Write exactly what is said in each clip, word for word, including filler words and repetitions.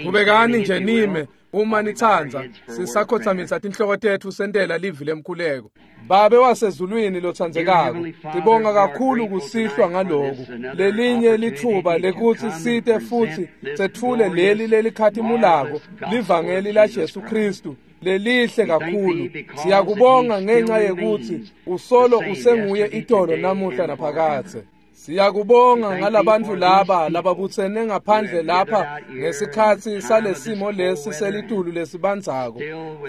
Qhubekani nje nime uma nitsandza, sisakhothamisa tinhloko tetfu sentela livi lemkhuleko. Babe wasezulwini lotsandzekako, sibonga kakhulu kusihlwa ngaloku lelinye litfuba lekutsi site futsi setfule leli lelikhatimulako livangeli la Jesu Kristu lelihle kakhulu. Siyakubonga ngenxa yekutsi usolo usenguye itolo namuhla naphakadze. Siyakubonga ngalabantu laba lababutsene ngaphandle lapha ngesikhatsi salesimo lesi selitulu lesibandzako,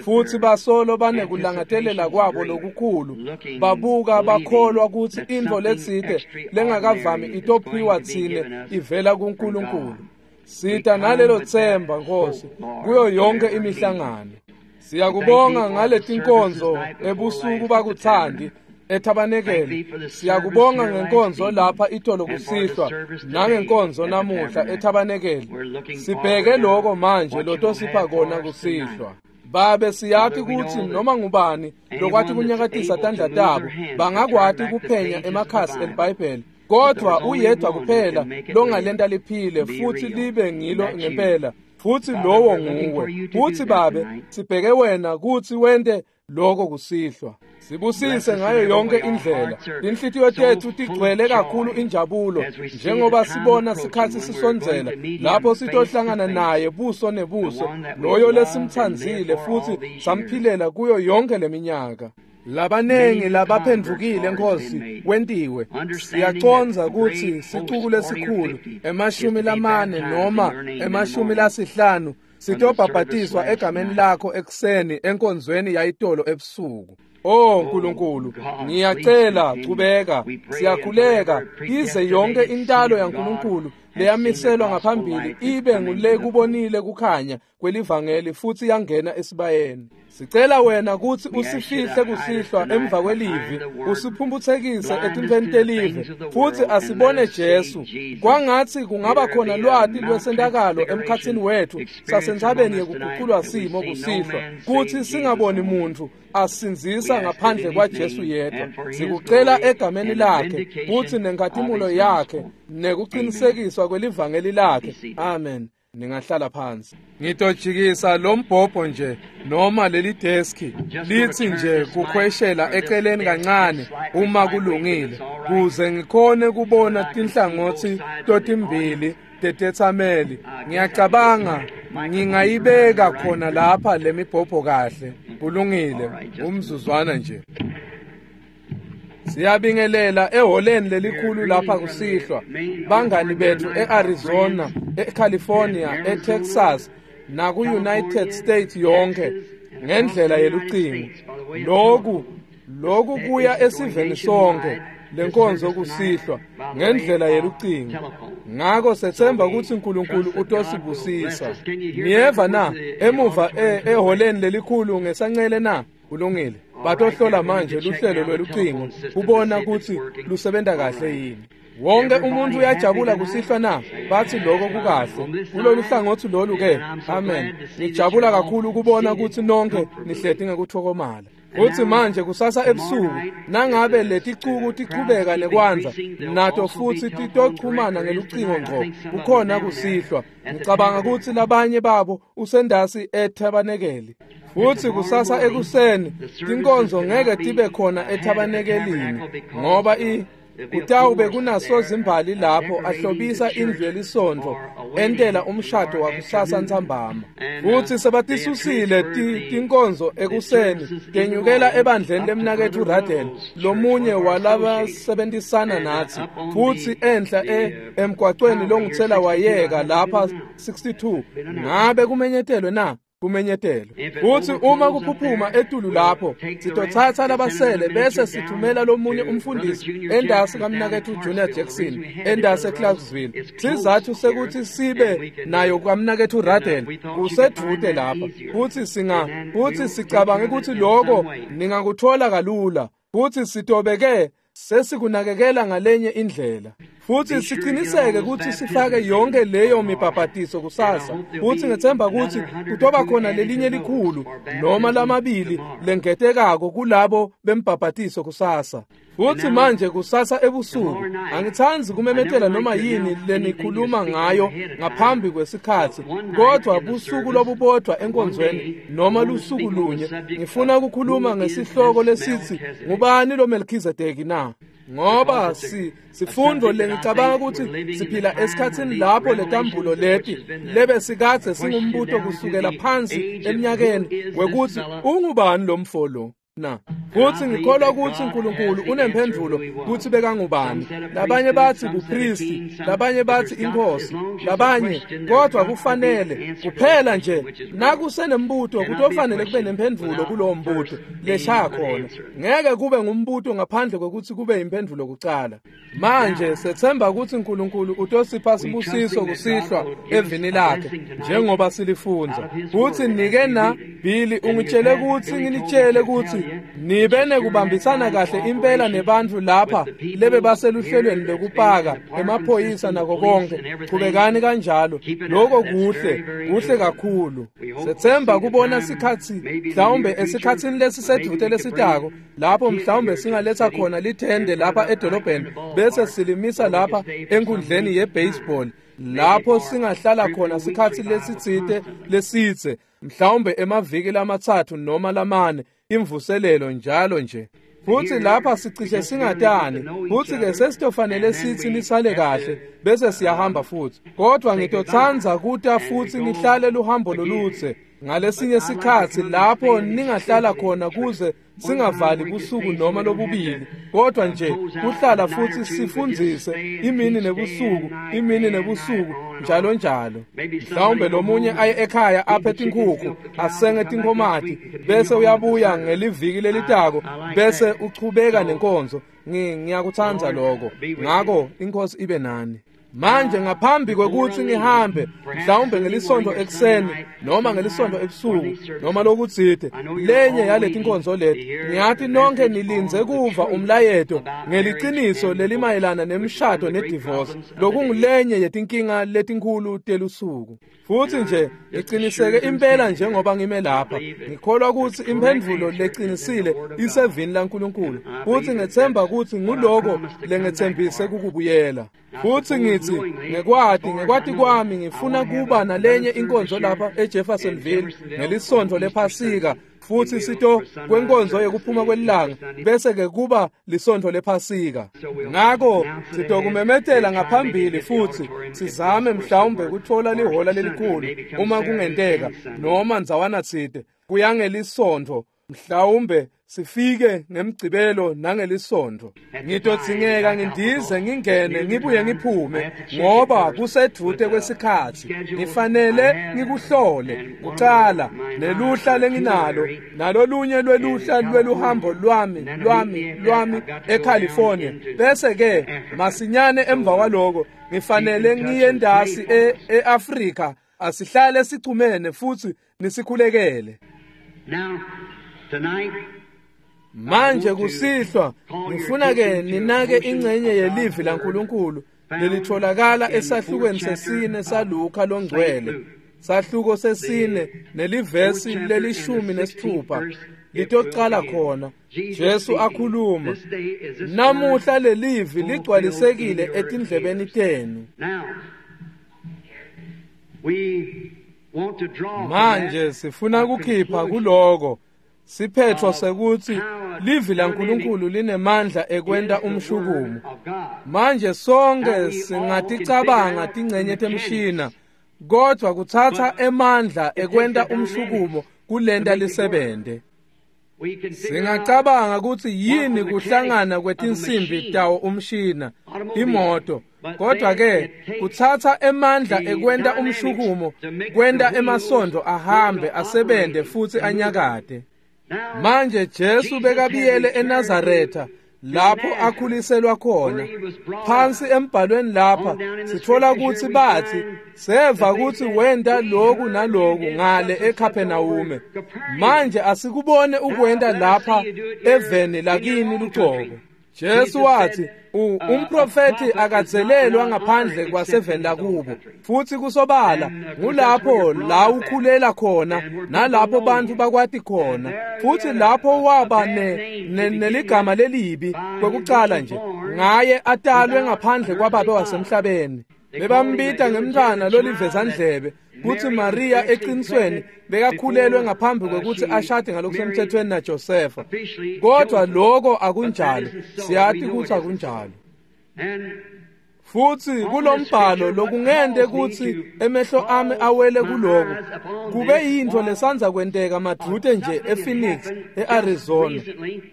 futsi basolo banekulangadelela kwabo lokukhulu, babuka bakholwa kutsi intfo letsite lengakavami itophiwa tsine ivela kuNkulunkulu. Sita nalelo tsemba, Nkosi, kuyo yonke imihlangano. Siyakubonga ngaletinkonzo ebusuku bakuthandi ethabanekeli. Siyakubonga ngenkonzo lapha itolo kusihlwa nangenkonzo namuhla ethabanekeli. Sibheke lokho manje lotosipha kona kusihlwa. Babe, siyati kutsi noma ngubani lokwati kunyakatisa tandla tabo bangakwati kuphenya emakhasi eliBhayibheli, kodwa uyedwa kuphela longalenta liphile futsi libe ngilo ngempela, futsi lowo nguwe. Futsi Babe, sibheke wena kutsi wente lokho kusihlwa. Sibusise ngayo yonke indlela. Tinhlitiyo tetfu tigcwele kakhulu injabulo njengoba sibona sikhatsi sisondzela lapho sitohlangana naye buso nebuso, loyo lesimtsandzile futsi samphilela kuyo yonke leminyaka. Labanengi labaphendvukile, Nkosi, kwentiwe. Siyacondza kutsi sicuku lesikhulu, emashumi lamane noma emashumi lasihlanu, sitobhabhatiswa egameni lakho ekuseni enkonzweni yayitolo ebusuku. Oh Nkulunkulu, ngiyacela chubeka, siyakhuleka ize yonke intalo yaNkulunkulu leyamiselwa ngaphambili ibe ngule kubonile kukhanya kwelivangeli futsi yangena esibayeni. Sicela wena kutsi usifihle kusihlwa emva kwelivi, usiphumphutsekise etintfweni telive, futsi asibone Jesu. Kwangatsi kungaba khona lwati lwesentakalo emkhatsini wetfu sasentsabeni yekuguculwa simo kusihlwa, kutsi singaboni muntfu asindzisa ngaphandle kwaJesu yedwa. Sikucela egameni lakhe kutsi nenkhatimulo yakhe nekuqinisekiswa kwelivangeli lakhe. Amen. Ningahlala phansi. Ngitojikisa lo mbhobho nje noma leli deski lithi nje kukhweshela eceleni kancane uma kulungile, kuze ngikhone kubona tinhlangothi totimbili tetetsameli. Ngiyacabanga ngingayibeka khona lapha lemibhobho kahle. Kulungile, umzuzwana nje. Siyabingelela eholeni lelikhulu lapha kusihlwa, bangani bethu e-Arizona, eCalifornia, eTexas naku-United States yonke ngendlela yelucingo. Loku loku kuya esiveni sonke lenkonzo kusihlwa ngendlela yelucingo. Ngako sethemba ukuthi uNkulunkulu utosibusisa. Niyeva na emuva eholeni lelikhulu ngesancele na? Kulungile. Batohlola manje luhlelo lwelucingo kubona ukuthi lusebenta kahle yini. Wonke umuntu uyajabula kusihlwa na? Bathi lokho kukahle. Kulolu hlangothi lolu ke. Amen. Ngijabula kakhulu ukubona ukuthi nonke nihleti ngekuthokomala. Uthi manje kusasa ebusuku nangabe leticuku tichubeka nekwandza nato futsi titochumana ngelucingo ngqo kukhona kusihlwa. Ngicabanga ukuthi labanye babo usendasi ethabanekeli. Futhi kusasa ekuseni tinkonzo ngeke tibe khona ethabanekelini ngoba i kutawube kunasozimbali lapho ahlobisa indlu yelisonto entela umshado wakusasa ntsambama. Futhi sebatisusile tinkonzo ekuseni tenyukela ebandleni lemnaketfu Radel, lomunye walabasebentisana nathi, futhi enhla emgwacweni longitsela wayeka lapha sixty-two. Ngabe kumenyetelwe na? Kumenyetelwe. Futhi uma kuphuphuma etulu lapho sitothatha labasele bese sithumela lomunye umfundisi endasi kamnaketfu Junior Jackson endasi eClarksville. Sizathu sekuthi sibe nayo kamnaketfu Radel kusedvute lapha, futhi singa futhi sicabange ukuthi lokho ningakuthola kalula, futhi sitobeke sesikunakekela ngalenye indlela. Futhi siciniseke kutsi sifake yonke leyo mibhabhatiso kusasa. Futhi ngethemba kutsi kutoba khona lelinye likhulu noma lamabili lengetekako kulabo bembhabhatiso kusasa. Futhi manje kusasa ebusuku angithandi kumemetela noma yini lenikhuluma ngayo ngaphambi kwesikhathi, kodwa busuku lobubodwa enkonzweni noma lusuku lunye ngifuna ukukhuluma ngesihloko lesithi ngubani lo Melchizedeki na? Ngoba si sifundo lengicabanga ukuthi siphila esikhatsini lapho letambulo leti lebe sikadze singumbuto kusukela phansi eminyakeni wekuthi ungubani lo mfo lo na. Futhi ngikholwa ukuthi uNkulunkulu unemphendvulo kuthi bekangubani. Labanye bathi bupristi, labanye bathi inkosi, labanye kodwa kufanele kuphela nje nakusenembuto kutofanele kube nemphendvulo kulowo mbuto leshaya khona. Ngeke kube ngumbuto ngaphandle kokuthi kube imphendvulo kucala. Manje sethemba ukuthi uNkulunkulu utosipha sibusiso kusihlwa evini lakhe njengoba silifundza. Futhi nike na Billy ungitshele ukuthi nginitshele ukuthi nibe nekubambisana kahle impela nebantfu lapha lebe baseluhlelweni lokupaka emaphoyisa nako konke. Chubekani kanjalo, lokho kuhle, kuhle kakhulu. Sethemba kubona sikhatsi mhlawumbe esikhatsini lesisedvute lesitako lapho mhlawumbe singaletha khona lithende lapha edolobheni bese silimisa lapha enkundleni ye-baseball lapho singahlala khona sikhatsi lesitsite lesitse mhlawumbe emaviki lamatsatfu noma lamane imvuselelo njalo nje. Futhi lapha sicishe singatani, futhi ke sesitofanele sithi nisale kahle bese siyahamba futhi. Kodwa ngitotsandza kuta futhi ngihlale luhambo lolutse ngalesinye sikhatsi lapho ningahlala khona kuze singavali busuku noma lobubili, kodwa nje kuhlala futhi sifundzise imini nebusuku, imini nebusuku njalo njalo. Mhlawumbe lomunye aye ekhaya aphe tinkhukhu asenge tinkhomati bese uyabuya ngeliviki lelitako bese uchubeka nenkonzo. Ngiyakutsandza lokho. Ngako inkosi ibe nani. Manje ngaphambi kwekuthi ngihambe mhlawumbe ngelisonto ekuseni noma ngelisonto ebusuku noma lokutsite lenye yaleti nkonzo leti, ngiyathi nonke nilindze kuva umlayeto ngeliciniso lelimayelana nemshado nedivorce, lokungulenye yetinkinga letinkhulu telusuku. Futhi nje ngiqiniseke impela njengoba ngime lapha, ngikholwa ukuthi imphendvulo leqinisile isevini laNkulunkulu, futhi ngethemba ukuthi nguloko lengethembise kukubuyela. Futhi ngithi ngekwati ngekwati kwami ngifuna kuba nalenye inkonzo lapha eJeffersonville ngelisonto lePhasika, futhi sito kwenkonzo yokuphuma kwelanga bese ke kuba lisonto lePhasika. Ngako sitokumemetela ngaphambili futhi sizame mhlawumbe kuthola lihola lelikhulu uma kungenteka noma ndzawana tsite kuyangelisonto, mhlawumbe sifike ngemgcibelo nangelisonto. Ngitodzingeka ngindize ngingene ngibuye ngiphume ngoba kusedvute kwesikhatsi. Ngifanele ngikuhlole kucala neluhla lenginalo nalolunye lweluhla lweluhambo lwami lwami lwami eCalifornia, bese ke masinyane emva kwaloko ngifanele ngiye ndasi eAfrika. Asihlale sichumene futhi nisikhulekele. Manje kusihlwa ngifuna ke ninake ingcenye yelivi laNkulunkulu lelitholakala esahlukweni sesine saLuka longcwele, sahluko sesine nelivesi lelishumi nesithupha litocala khona. Jesu akhuluma, namuhla lelivi ligcwalisekile etindlebeni tenu. Manje sifuna kukhipha kuloko siphetho sekuthi livi laNkulunkulu linemandla ekwenta umshukumo. Manje sonke singaticabanga tingcenye temshina, kodwa kutsatsa emandla ekwenta umshukumo kulenta lisebente. Singacabanga ukuthi yini kuhlangana kwetinsimbi tawo umshina, imoto, kodwa ke kutsatsa emandla ekwenta umshukumo, kwenta emasondo ahambe asebente futhi anyakate. Manje Jesu bekabiyele eNazaretha lapho akhuliselwa khona. Phansi embhalweni lapha sithola ukuthi bathi seva ukuthi wenda lokhu naloku ngale eKapernaum. Manje asikubone ukwenda lapha eveni lakini lucobo. Jesu wathi umprofeti akatselelwa ngaphandle kwaseveni lakubo futhi kusobala ngulapho la ukhulela khona nalapho bantu bakwati khona futhi lapho waba ne neligama lelibi kwekucala nje ngaye atalwe ngaphandle kwababe wasemhlabeni. Bebambita ngemntwana lolivezandlebe kutsi Maria eqinisweni bekakhulelwe ngaphambi kwekutsi ashade ngalokusemthethweni naJosefa. Kodwa lokho akunjalo, siyati kutsi akunjalo. Futsi kulombhalo lokungente kutsi emehlo ami awele kuloko kube yintfo lesandza kwenteka madvute nje ePhoenix eArizona.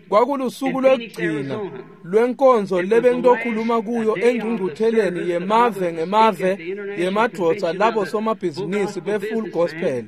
Kwakulusuku lwekugcina lwenkonzo lebengitokhuluma kuyo engcungcutheleni yemave ngemave yemadvodza labo somabhizinisi be-Full Gospel.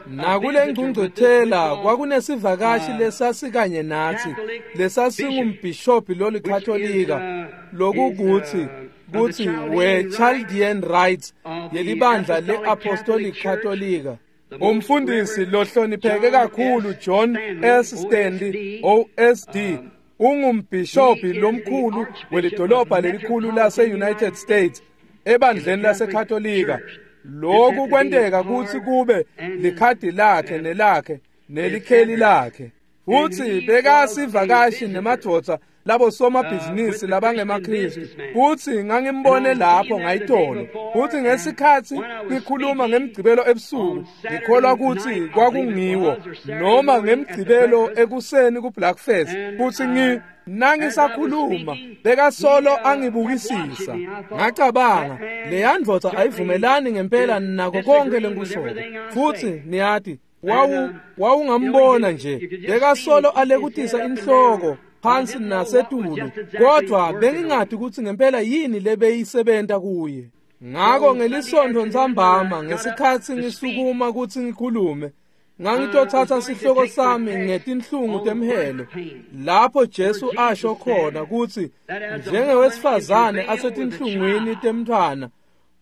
Nakule ngcungcuthela kwakunesivakashi lesasikanye nathi lesasingumbhishobhi lolikatolika lokukutsi kutsi we-Chaldean Rites yelibandla le-Apostolic Katolika. Umfundisi lohlonipheke kakhulu John S. Stanley O S D ungumbhishobhi lomkhulu welidolobha lelikhulu lase-United States ebandleni laseKatolika. Lokhu kwenteka kutsi kube likhadi lakhe nelakhe nelikheli lakhe. Futsi bekasivakashi nemadvodza labo somabhizinisi labangemaKristu. Futsi ngangimbone lapho ngayitolo. Futsi ngesikhatsi ngikhuluma ngemgcibelo ebusuku ngikholwa kutsi kwakungiwo noma ngemgcibelo ekuseni ku-Blackfest. Futsi ngi nangisakhuluma bekasolo angibukisisa. Ngacabanga leya ndvodza ayivumelani ngempela nako konke lengikushoko. Futsi niyati wawu wawungambona nje bekasolo alekutisa inhloko phansi nasetulu, kodwa bengingati kutsi ngempela yini lebeyisebenta kuye. Ngako ngelisonto ntsambama ngesikhatsi ngisukuma kutsi ngikhulume ngangitothatha sihloko sami ngetinhlungu temhelo lapho Jesu asho khona kutsi njengewesifazane asetinhlungwini temntfwana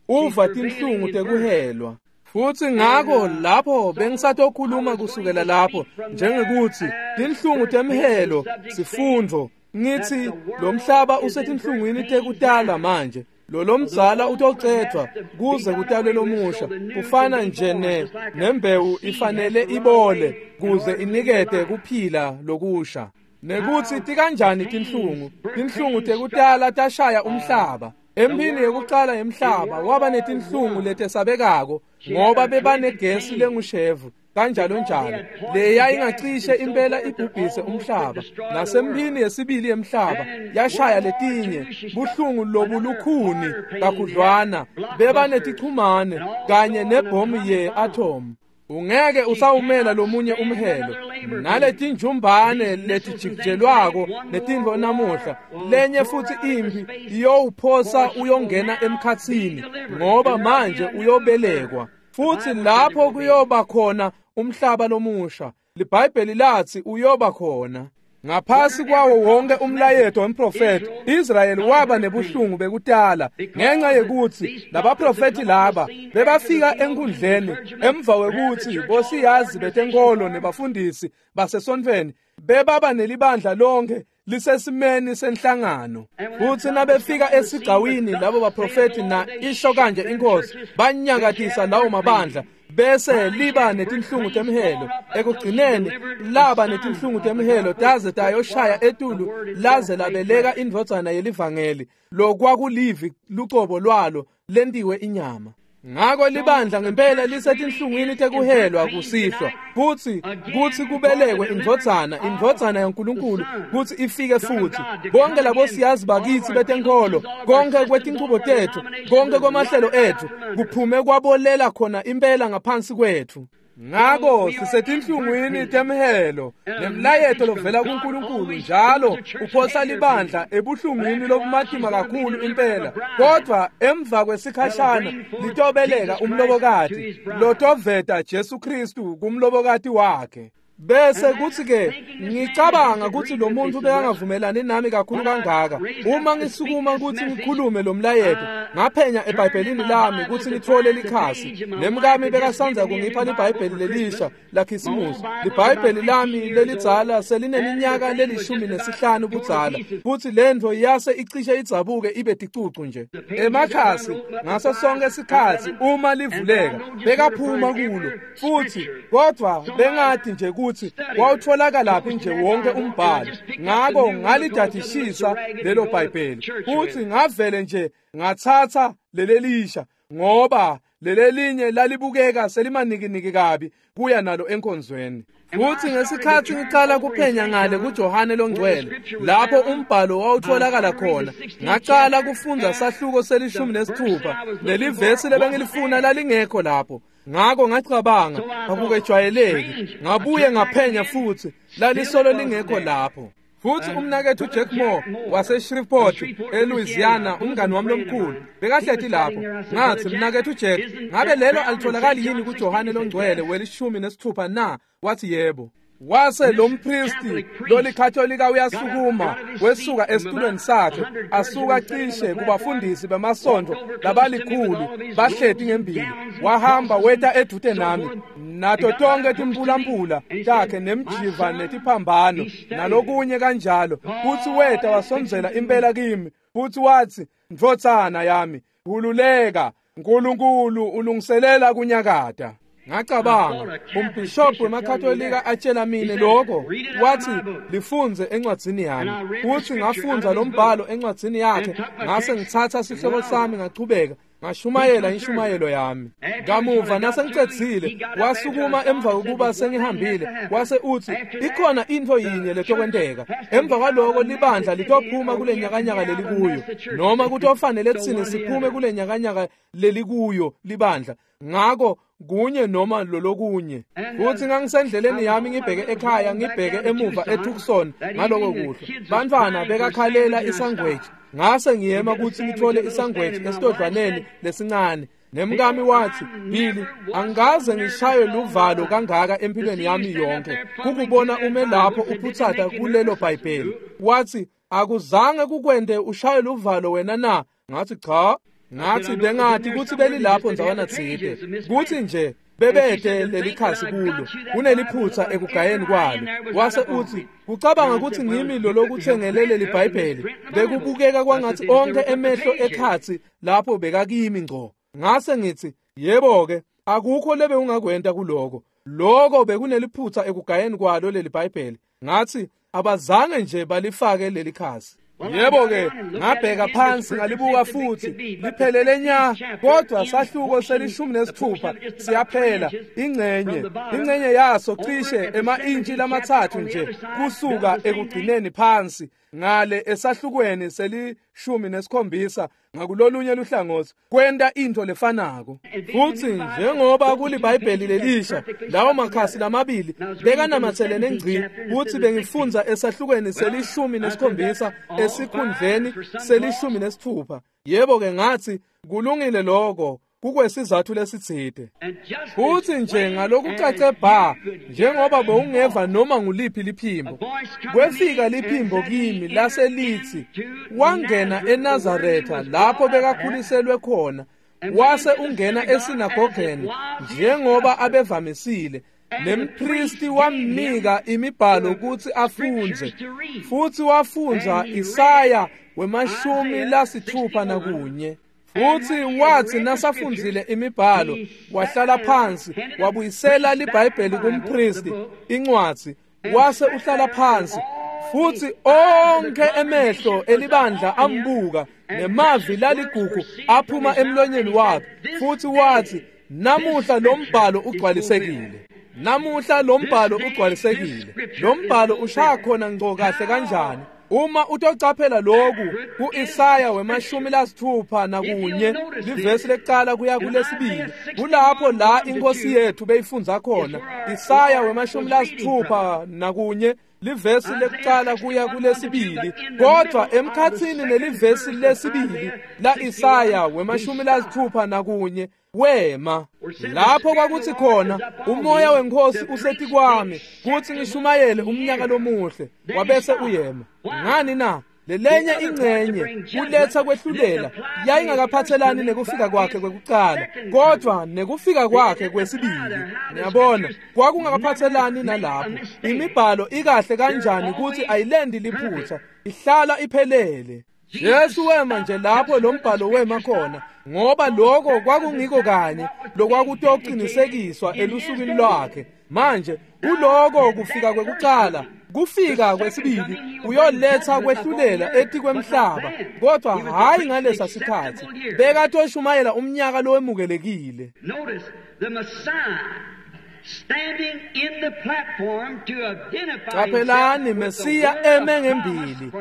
uva tinhlungu tekuhelwa. Futsi ngako lapho bengisatokhuluma kusukela lapho njengekutsi tinhlungu temhelo sifundvo ngithi lo mhlaba usetinhlungwini tekutala manje. Lo lomdzala utocedvwa kuze kutalwe lomusha kufana nje ne nembewu ifanele ibole kuze inikete kuphila lokusha. Nekutsi tikanjani tinhlungu tinhlungu tekutala tashaya umhlaba. Emphini yekucala yemhlaba waba netinhlungu letesabekako ngoba bebanegesi lengushevu kanjalo njalo leya ingacishe impela ibhubhise umhlaba. Nasemphini yesibili yemhlaba yashaya letinye buhlungu lobulukhuni kakhudlwana bebanetichumane kanye nebhomu ye-atom. Ungeke usawumela lomunye umhelo naletinjumbane letijikijelwako netintfo namuhla lenye futhi impi iyowuphosa uyongena emkhatsini ngoba manje uyobelekwa. Futsi lapho kuyoba khona umhlaba lomusha. LiBhayibheli lathi uyoba khona. Ngaphasi kwawo wonke umlayeto wemprofeti Israyeli waba nebuhlungu bekutala ngenxa yekutsi labaprofeti laba bebafika enkundleni emva kwekutsi bosiyazi betenkolo nebafundisi basesontfweni bebaba nelibandla lonke lisesimeni senhlangano. Futsi nabefika esigcawini labo baprofeti na isho kanje inkosi banyakatisa lawo mabandla bese liba netinhlungu temhelo. Ekugcineni laba netinhlungu temhelo taze tayoshaya etulu laze labeleka indvodzana yelivangeli lokwakulivi lucobo lwalo lentiwe inyama. Ngako libandla ngempela lisetinhlungwini tekuhelwa kusihlwa futsi kutsi kubelekwe indvodzana indvodzana yaNkulunkulu kutsi ifike futhi. Bonke labo siyazi bakithi betenkolo konke kwetinchubo tethu konke kwamahlelo ethu kuphume kwabolela khona impela ngaphansi kwethu. Ngako sisetinhlungwini temhelo nemlayeto lovela kuNkulunkulu njalo uphosa libandla ebuhlungwini lobumatima kakhulu impela, kodwa emva kwesikhashana litobeleka umlobokati lotoveta Jesu Kristu kumlobokati wakhe. Bese kuthi ke ngicabanga ukuthi lo muntu bekangavumelani nami kakhulu kangaka uma ngisukuma ukuthi ngikhulume lo mlayeto Ngaphenya eBhayibhelini lami kutsi ngitfole likhasi. Nemkami bekasandza kungipha liBhayibheli lelisha laKhisimusi. LiBhayibheli lami lelidzala selineminyaka lelishumi nesihlanu budzala, futsi lentfo yase icishe idzabuke ibe ticucu nje. Emakhasi ngaso sonke sikhatsi uma livuleka bekaphuma kulo, futsi kodvwa bengati nje kutsi wawutfolakala nje wonke umbhalo. Ngako ngalidadishisa lelo Bhayibheli, futsi ngavele nje ngatsatsa lelelisha, ngoba lelelinye lalibukeka selimanikiniki kabi kuya nalo enkonzweni. Futsi ngesikhatsi ngicala kuphenya ngale kuJohane loNgcwele, lapho umbhalo wawutfolakala khona, ngacala kufundza sahluko selishumi nesithupha, lelivesi lebengilifuna lalingekho lapho. Ngako ngacabanga akukejwayeleki, ngabuye ngaphenya futsi lalisolo lingekho lapho. Futsi umnaketfu Jack Moore wase-Shreveport eLouisiana, umngani wami lomkhulu, bekahleti lapho. Ngatsi, mnaketfu Jack, ngabe lelo alitholakali yini kuJohane loNgcwele welishumi nesithupha na? Wathi yebo. Wase lo mpristi lolikatolika uyasukuma wesuka esitulweni sakhe, asuka cishe kubafundisi bemasonto labalikhulu bahleti ngembili, wahamba weta edvute nami nato tonke timpulampula takhe nemjiva netiphambano nalokunye kanjalo. Futsi weta wasondzela impela kimi, futsi watsi, ndvodzana yami, khululeka, Nkulunkulu ulungiselela kunyakata. Ngacabanga, umbhishobhi wemaKatolika atshela mine lokho, wathi lifundze encwadzini yami. Futhi ngafundza lo mbhalo encwadzini yakhe, ngase ngitsatsa sihloko sami ngachubeka ngashumayela inshumayelo yami. Kamuva nasengicedzile, wasukuma emva kokuba sengihambile, wase utsi ikhona intfo yinye letokwenteka. Emva kwaloko libandla litophuma kule nyakanyaka lelikuyo, noma kutofanele tsine siphume kule nyakanyaka lelikuyo libandla. Ngako kunye noma lolokunye. Futsi ngangisendleleni yami ngibheke ekhaya, ngibheke emuva eTucson ngaloko kuhle. Bantfwana bekakhalela isangweji. Ngase ngiyema kutsi ngitfole isangweji esitodlwaneni lesincane. Nemkami watsi, Billy, angikaze ngishaywe luvalo kangaka empilweni yami yonke, kukubona ume lapho uphutsata kulelo Bhayibheli. Watsi, akuzange kukwente ushaye luvalo wena na? Ngatsi cha. Ngatsi bengati kutsi belilapho ndzawana tsite, kutsi nje bebete lelikhasi kulo, kuneliphutsa ekugayeni kwalo. Wase utsi, kucabanga kutsi ngimi lolokutsengelele leliBhayibheli, bekubukeka kwangatsi onke emehlo ekhatsi lapho bekakimi ngco. Ngase ngitsi, yebo-ke, akukho lebe ungakwenta kuloko. Loko bekuneliphutsa ekugayeni kwalo leliBhayibheli. Ngatsi, abazange nje balifake lelikhasi. Yebo-ke, ngabheka phansi ngalibuka futsi liphelele nya, kodwa sahluko selishumi nesithupha siyaphela ingcenye ingcenye yaso cishe ema-intshi lamatsatfu nje kusuka ekugcineni phansi ngale esahlukweni selishumi nesikhombisa ngakulolunye luhlangotsi kwenta intfo lefanako. Futsi njengoba kuliBhayibheli lelisha, lawo makhasi lamabili bekanamatselene ngci, kutsi bengifundza esahlukweni selishumi nesikhombisa esikhundleni selishumi nesithupha. Yebo-ke, ngatsi kulungile lokho, kukwesizathu lesitsite. Futsi nje ngalokucace bha, njengoba bewungeva noma nguliphi liphimbo, kwefika liphimbo kimi lase litsi, wangena eNazaretha lapho bekakhuliselwe khona, wase ungena esinagogeni njengoba abevamisile. Nempristi wamnika imibhalo kutsi afundze, futsi wafundza Isaya wemashumi lasithupha nakunye. Futsi watsi nasafundzile imibhalo, wahlala phansi, wabuyisela liBhayibheli kumpristi incwadzi, wase uhlala phansi. Futsi onke emehlo elibandla ambuka, nemavi laligugu aphuma emlonyeni wakhe. Futsi watsi, namuhla lo mbhalo ugcwalisekile. Namuhla lo mbhalo ugcwalisekile. Lo mbhalo ushaya khona ngco kahle kanjani? Uma utocaphela lokhu ku-Isaya wemashumi lasithupha nakunye, livesi lekucala kuya kulesibili, kulapho la inkosi yethu beyifundza khona. Isaya wemashumi lasithupha nakunye, livesi lekucala kuya kulesibili. Kodwa emkhatsini nelivesi lesibili la Isaya wemashumi lasithupha nakunye wema lapho kwakuthi khona, umoya wenkosi usetikwami kutsi ngishumayele umnyaka lomuhle. Wabese uyema. Ngani na? Lelenye ingcenye kuletha kwehlulela yayingakaphathelani nekufika kwakhe kwekucala, kodwa nekufika kwakhe kwesibili. Niyabona, kwakungakaphathelani nalapho. Imibhalo ikahle kanjani ukuthi ayilendi liphutha, ihlala iphelele. Jesu wema nje lapho lo mbhalo wema khona, ngoba lokho kwakungiko kanye lokwakutoqinisekiswa elusukwini lwakhe. Manje kuloko kufika kwekucala, kufika kwesibili uyoletha kwehlulela etikwemhlaba, kodwa hayi ngalesa sikhathi. Bekatoshumayela umnyaka lowemukelekile. Qaphelani, Mesiya eme ngembili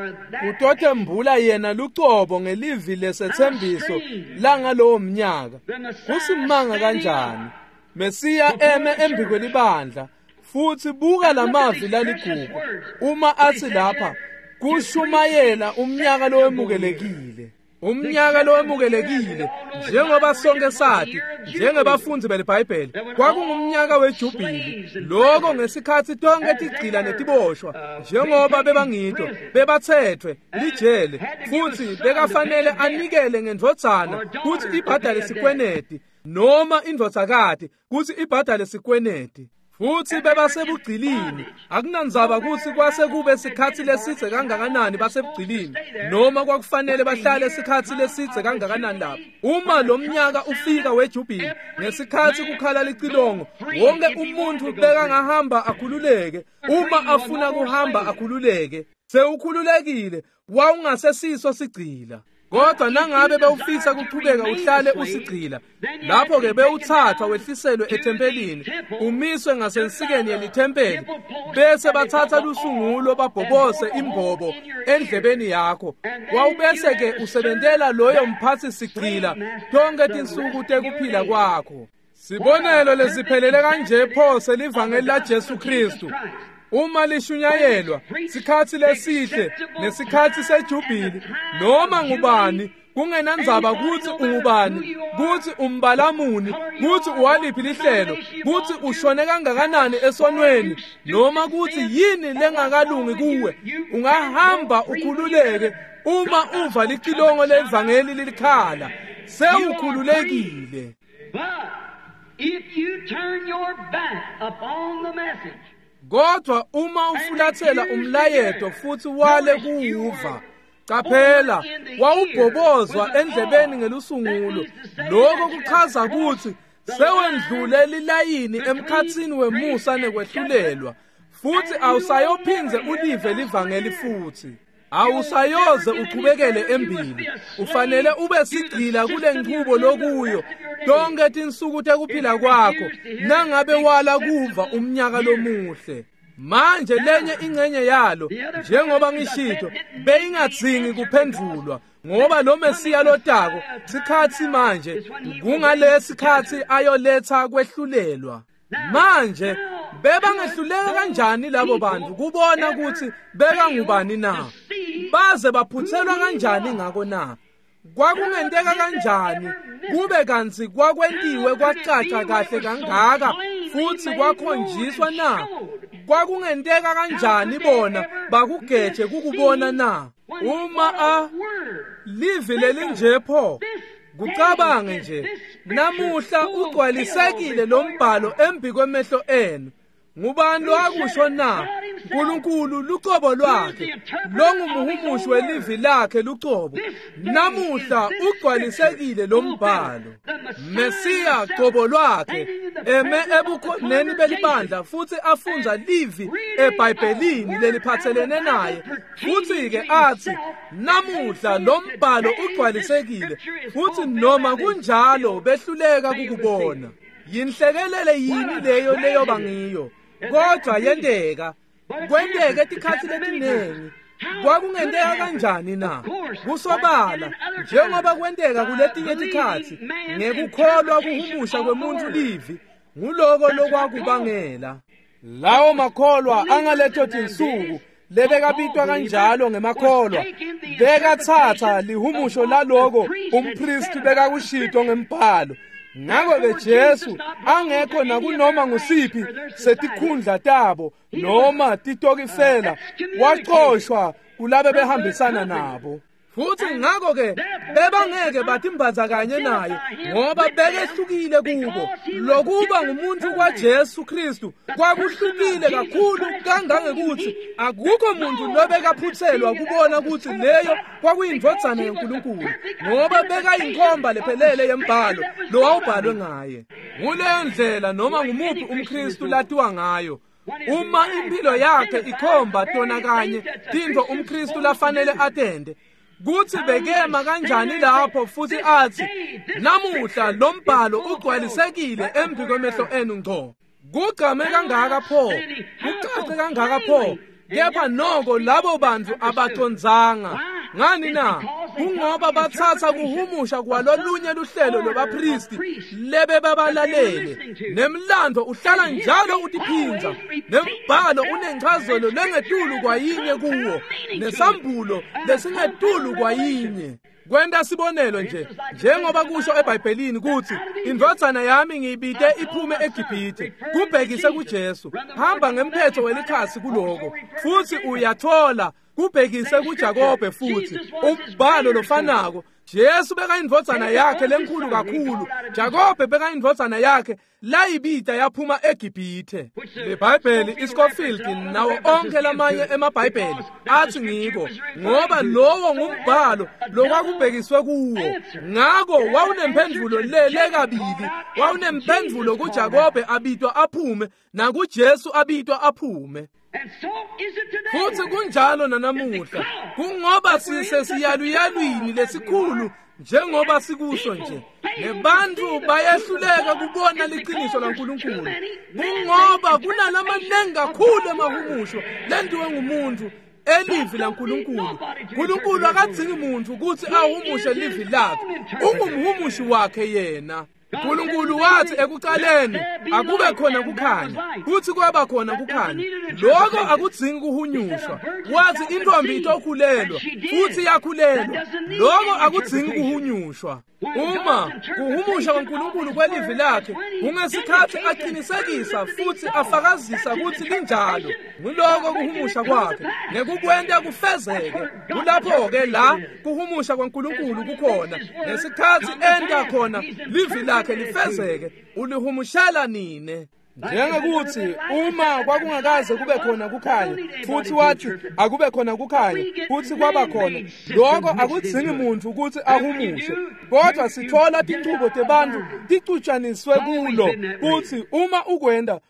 utothembula yena lucobo ngelivi lesethembiso langalowo mnyaka. Kusimanga kanjani Mesiya eme embi kwelibandla, futhi buka lamavi laligugu uma athi lapha kushumayela umnyaka lowemukelekile. Umnyaka lowemukelekile, njengoba sonke sathi njengebafundi beliBhayibheli, kwakungumnyaka wejubili. Lokho ngesikhathi tonke tigcila netiboshwa njengoba bebangito bebathethwe lijele, futhi bekafanele anikele ngendvodzana kuthi ibhadale sikweneti, noma indvodzakati kuthi ibhadale sikweneti. Futhi bebasebugcilini, akunandzaba ukuthi kwase kube sikhathi lesidze kangakanani basebugcilini, noma kwakufanele bahlale sikhathi lesidze kangakanani lapho. Uma lo mnyaka ufika wejubili, ngesikhathi kukhala licilongo, wonke umuntu bekangahamba akhululeke. Uma afuna kuhamba akhululeke, sewukhululekile, wawungasesiso sigcila. Kodwa nangabe bewufisa kuchubeka uhlale usigcila, lapho ke bewuthathwa wehliselwe ethempelini, umiswe ngasensikeni yelithempeli, bese bathatha lusungulo babhobose imbobo endlebeni yakho. Wawubese ke usebentela loyo mphathi sigcila tonke tinsuku tekuphila kwakho. Sibonelo lesiphelele kanje pho selivangeli la Jesu Kristu. Uma lishunyayelwa sikhathi lesihle nesikhathi sejubili, noma ngubani, kungenandzaba kuthi ungubani, kuthi umbalamuni, kuthi uwaliphi lihlelo, kuthi ushone kangakanani esonweni, noma kuthi yini lengakalungi kuwe, ungahamba ukhululeke uma uva licilongo levangeli lilikhala, sewukhululekile. If you turn your back upon the message, kodwa uma ufulathela umlayeto futhi wale kuwuva, qaphela, wawubhobozwa endlebeni ngelusungulo. Lokho kuchaza ukuthi sewendlule lilayini emkhathini wemusa nekwehlulelwa, futhi awusayophindze ulive livangeli futhi. Awusayoze uchubekele embili. Ufanele ube sigcila kule nchubo lokuyo tonke tinsuku tekuphila kwakho, nangabe wala kuva umnyaka lomuhle. Manje lenye ingcenye yalo, njengoba ngishito, beyingadzingi kuphendvulwa, ngoba lo Mesiya lotako sikhathi manje kungalesikhathi ayoletha kwehlulelwa. Manje bebangehluleka kanjani labo bantu kubona ukuthi bekangubani na? Baze baphuthelwa kanjani ngako na? Kwakungenteka kanjani kube kantsi kwakwentiwe kwacaca kahle kangaka futhi kwakhonjiswa na? Kwakungenteka kanjani bona bakugeje kukubona na? Uma a livi lelinje pho, kucabange nje namuhla ugcwalisekile lo mbhalo embi kwemehlo enu. Ngubani lo akusho na? uNkulunkulu lucobo lwakhe, longumhumushi welivi lakhe lucobo. Namuhla ugcwalisekile lo mbhalo. Mesiya cobo lwakhe eme ebukhoneni belibandla futhi afunza livi eBhayibhelini leliphathelene naye, futhi ke athi namuhla lo mbhalo ugcwalisekile, futhi noma kunjalo behluleka kukubona. Yinhlekelele yini leyo leyoba ngiyo? Kodwa yenteka, kwenteke tikhathi letiningi. Kwakungenteka kanjani na? Kusobala njengoba kwenteka kuletinye tikhathi, ngekukholwa kuhumusha kwemuntu livi, nguloko lokwakubangela lawo makholwa angaletho tinsuku lebekabitwa kanjalo ngemakholwa, bekathatha lihumusho laloko umpristi bekakushito ngembhalo. Ngakho-ke Jesu angekho nakunoma ngusiphi setikhundla tabo noma titokifela, waxoshwa kulabe behambisana nabo. Futhi ngakho-ke bebangeke batimbaza kanye naye ngoba bekehlukile kubo. Lokuba ngumuntu kwaJesu Kristu kwakuhlukile kakhulu kangangekuthi akukho muntu lobekaphuthelwa kubona ukuthi leyo kwakuyindvodzana yaNkulunkulu, ngoba bekayinkhomba lephelele yembhalo lowawubhalwe ngaye. Nguleyo ndlela noma ngumuphi umKristu latiwa ngayo. Uma impilo yakhe ikhomba tona kanye tintfo umKristu lafanele atende, kuthi bekema kanjani lapho futhi athi namuhla lo mbhalo ugcwalisekile embi kwemehlo enu ngco. Kugcame kangaka pho, kucace kangaka pho, kepha noko labo bantu abacondzanga. Ngani na? Kungoba bathatha kuhumusha kwalolunye luhlelo lwabapristi lebe babalalele. Nemlando uhlala njalo utiphindza, nembhalo unenchazelo lengetulu kwayinye kuwo, nesambulo lesingetulu kwayinye. Kwenta sibonelo nje, njengoba kusho eBhayibhelini kuthi indvodzana yami ngiyibite iphume eGibhithe, kubhekise kuJesu. Hamba ngemphetho welikhasi kuloko futhi uyathola kubhekise kuJakobe futhi umbhalo lofanako. Jesu bekayindvodzana yakhe lenkulu kakhulu, Jakobe bekayindvodzana yakhe layibita yaphuma eGibhithe. LeBhayibheli iScofield nawo onke lamanye emaBhayibheli athi ngiko, ngoba lowo ngumbhalo lokwakubhekiswe kuwo. Ngako wawunemphendvulo lele kabili, wawunemphendvulo kuJakobe abitwa aphume nakuJesu abitwa aphume. Futhi kunjalo nanamuhla, kungoba sisesiyaluyalwini lesikhulu njengoba sikusho nje, nebantu bayehluleka kubona liqiniso laNkulunkulu. Kungoba kunalamanengi kakhulu emahumusho lentiwe ngumuntu elivi laNkulunkulu. Nkulunkulu akadzingi muntu ukuthi ahumushe livi lakhe, ungumhumushi wakhe yena. Nkulunkulu wathi ekuqaleni akube khona kukhanya, kuthi kwaba khona kukhanya. Lokho akudzingi kuhunyushwa. Wathi intombi itokhulelwa, futhi yakhulelwa. Lokho akudzingi kuhunyushwa. Uma kuhumusha kwaNkulunkulu kwelivi lakhe kungesikhathi aqinisekisa futhi afakazisa ukuthi linjalo, nguloko kuhumusha kwakhe ngekukwenta kufezeke. Kulapho-ke la kuhumusha kwaNkulunkulu kukhona, ngesikhathi enta khona livi lakhe lifezeke, ulihumushela nine. Njengekuthi uma kwakungakaze kube khona kukhanya, futhi wathi akube khona kukhanya, futhi kwaba khona, lokho akudzingi muntu ukuthi ahumushe. Kodwa sithola tinchubo tebantu ticutshaniswe kulo, kuthi uma ukwenda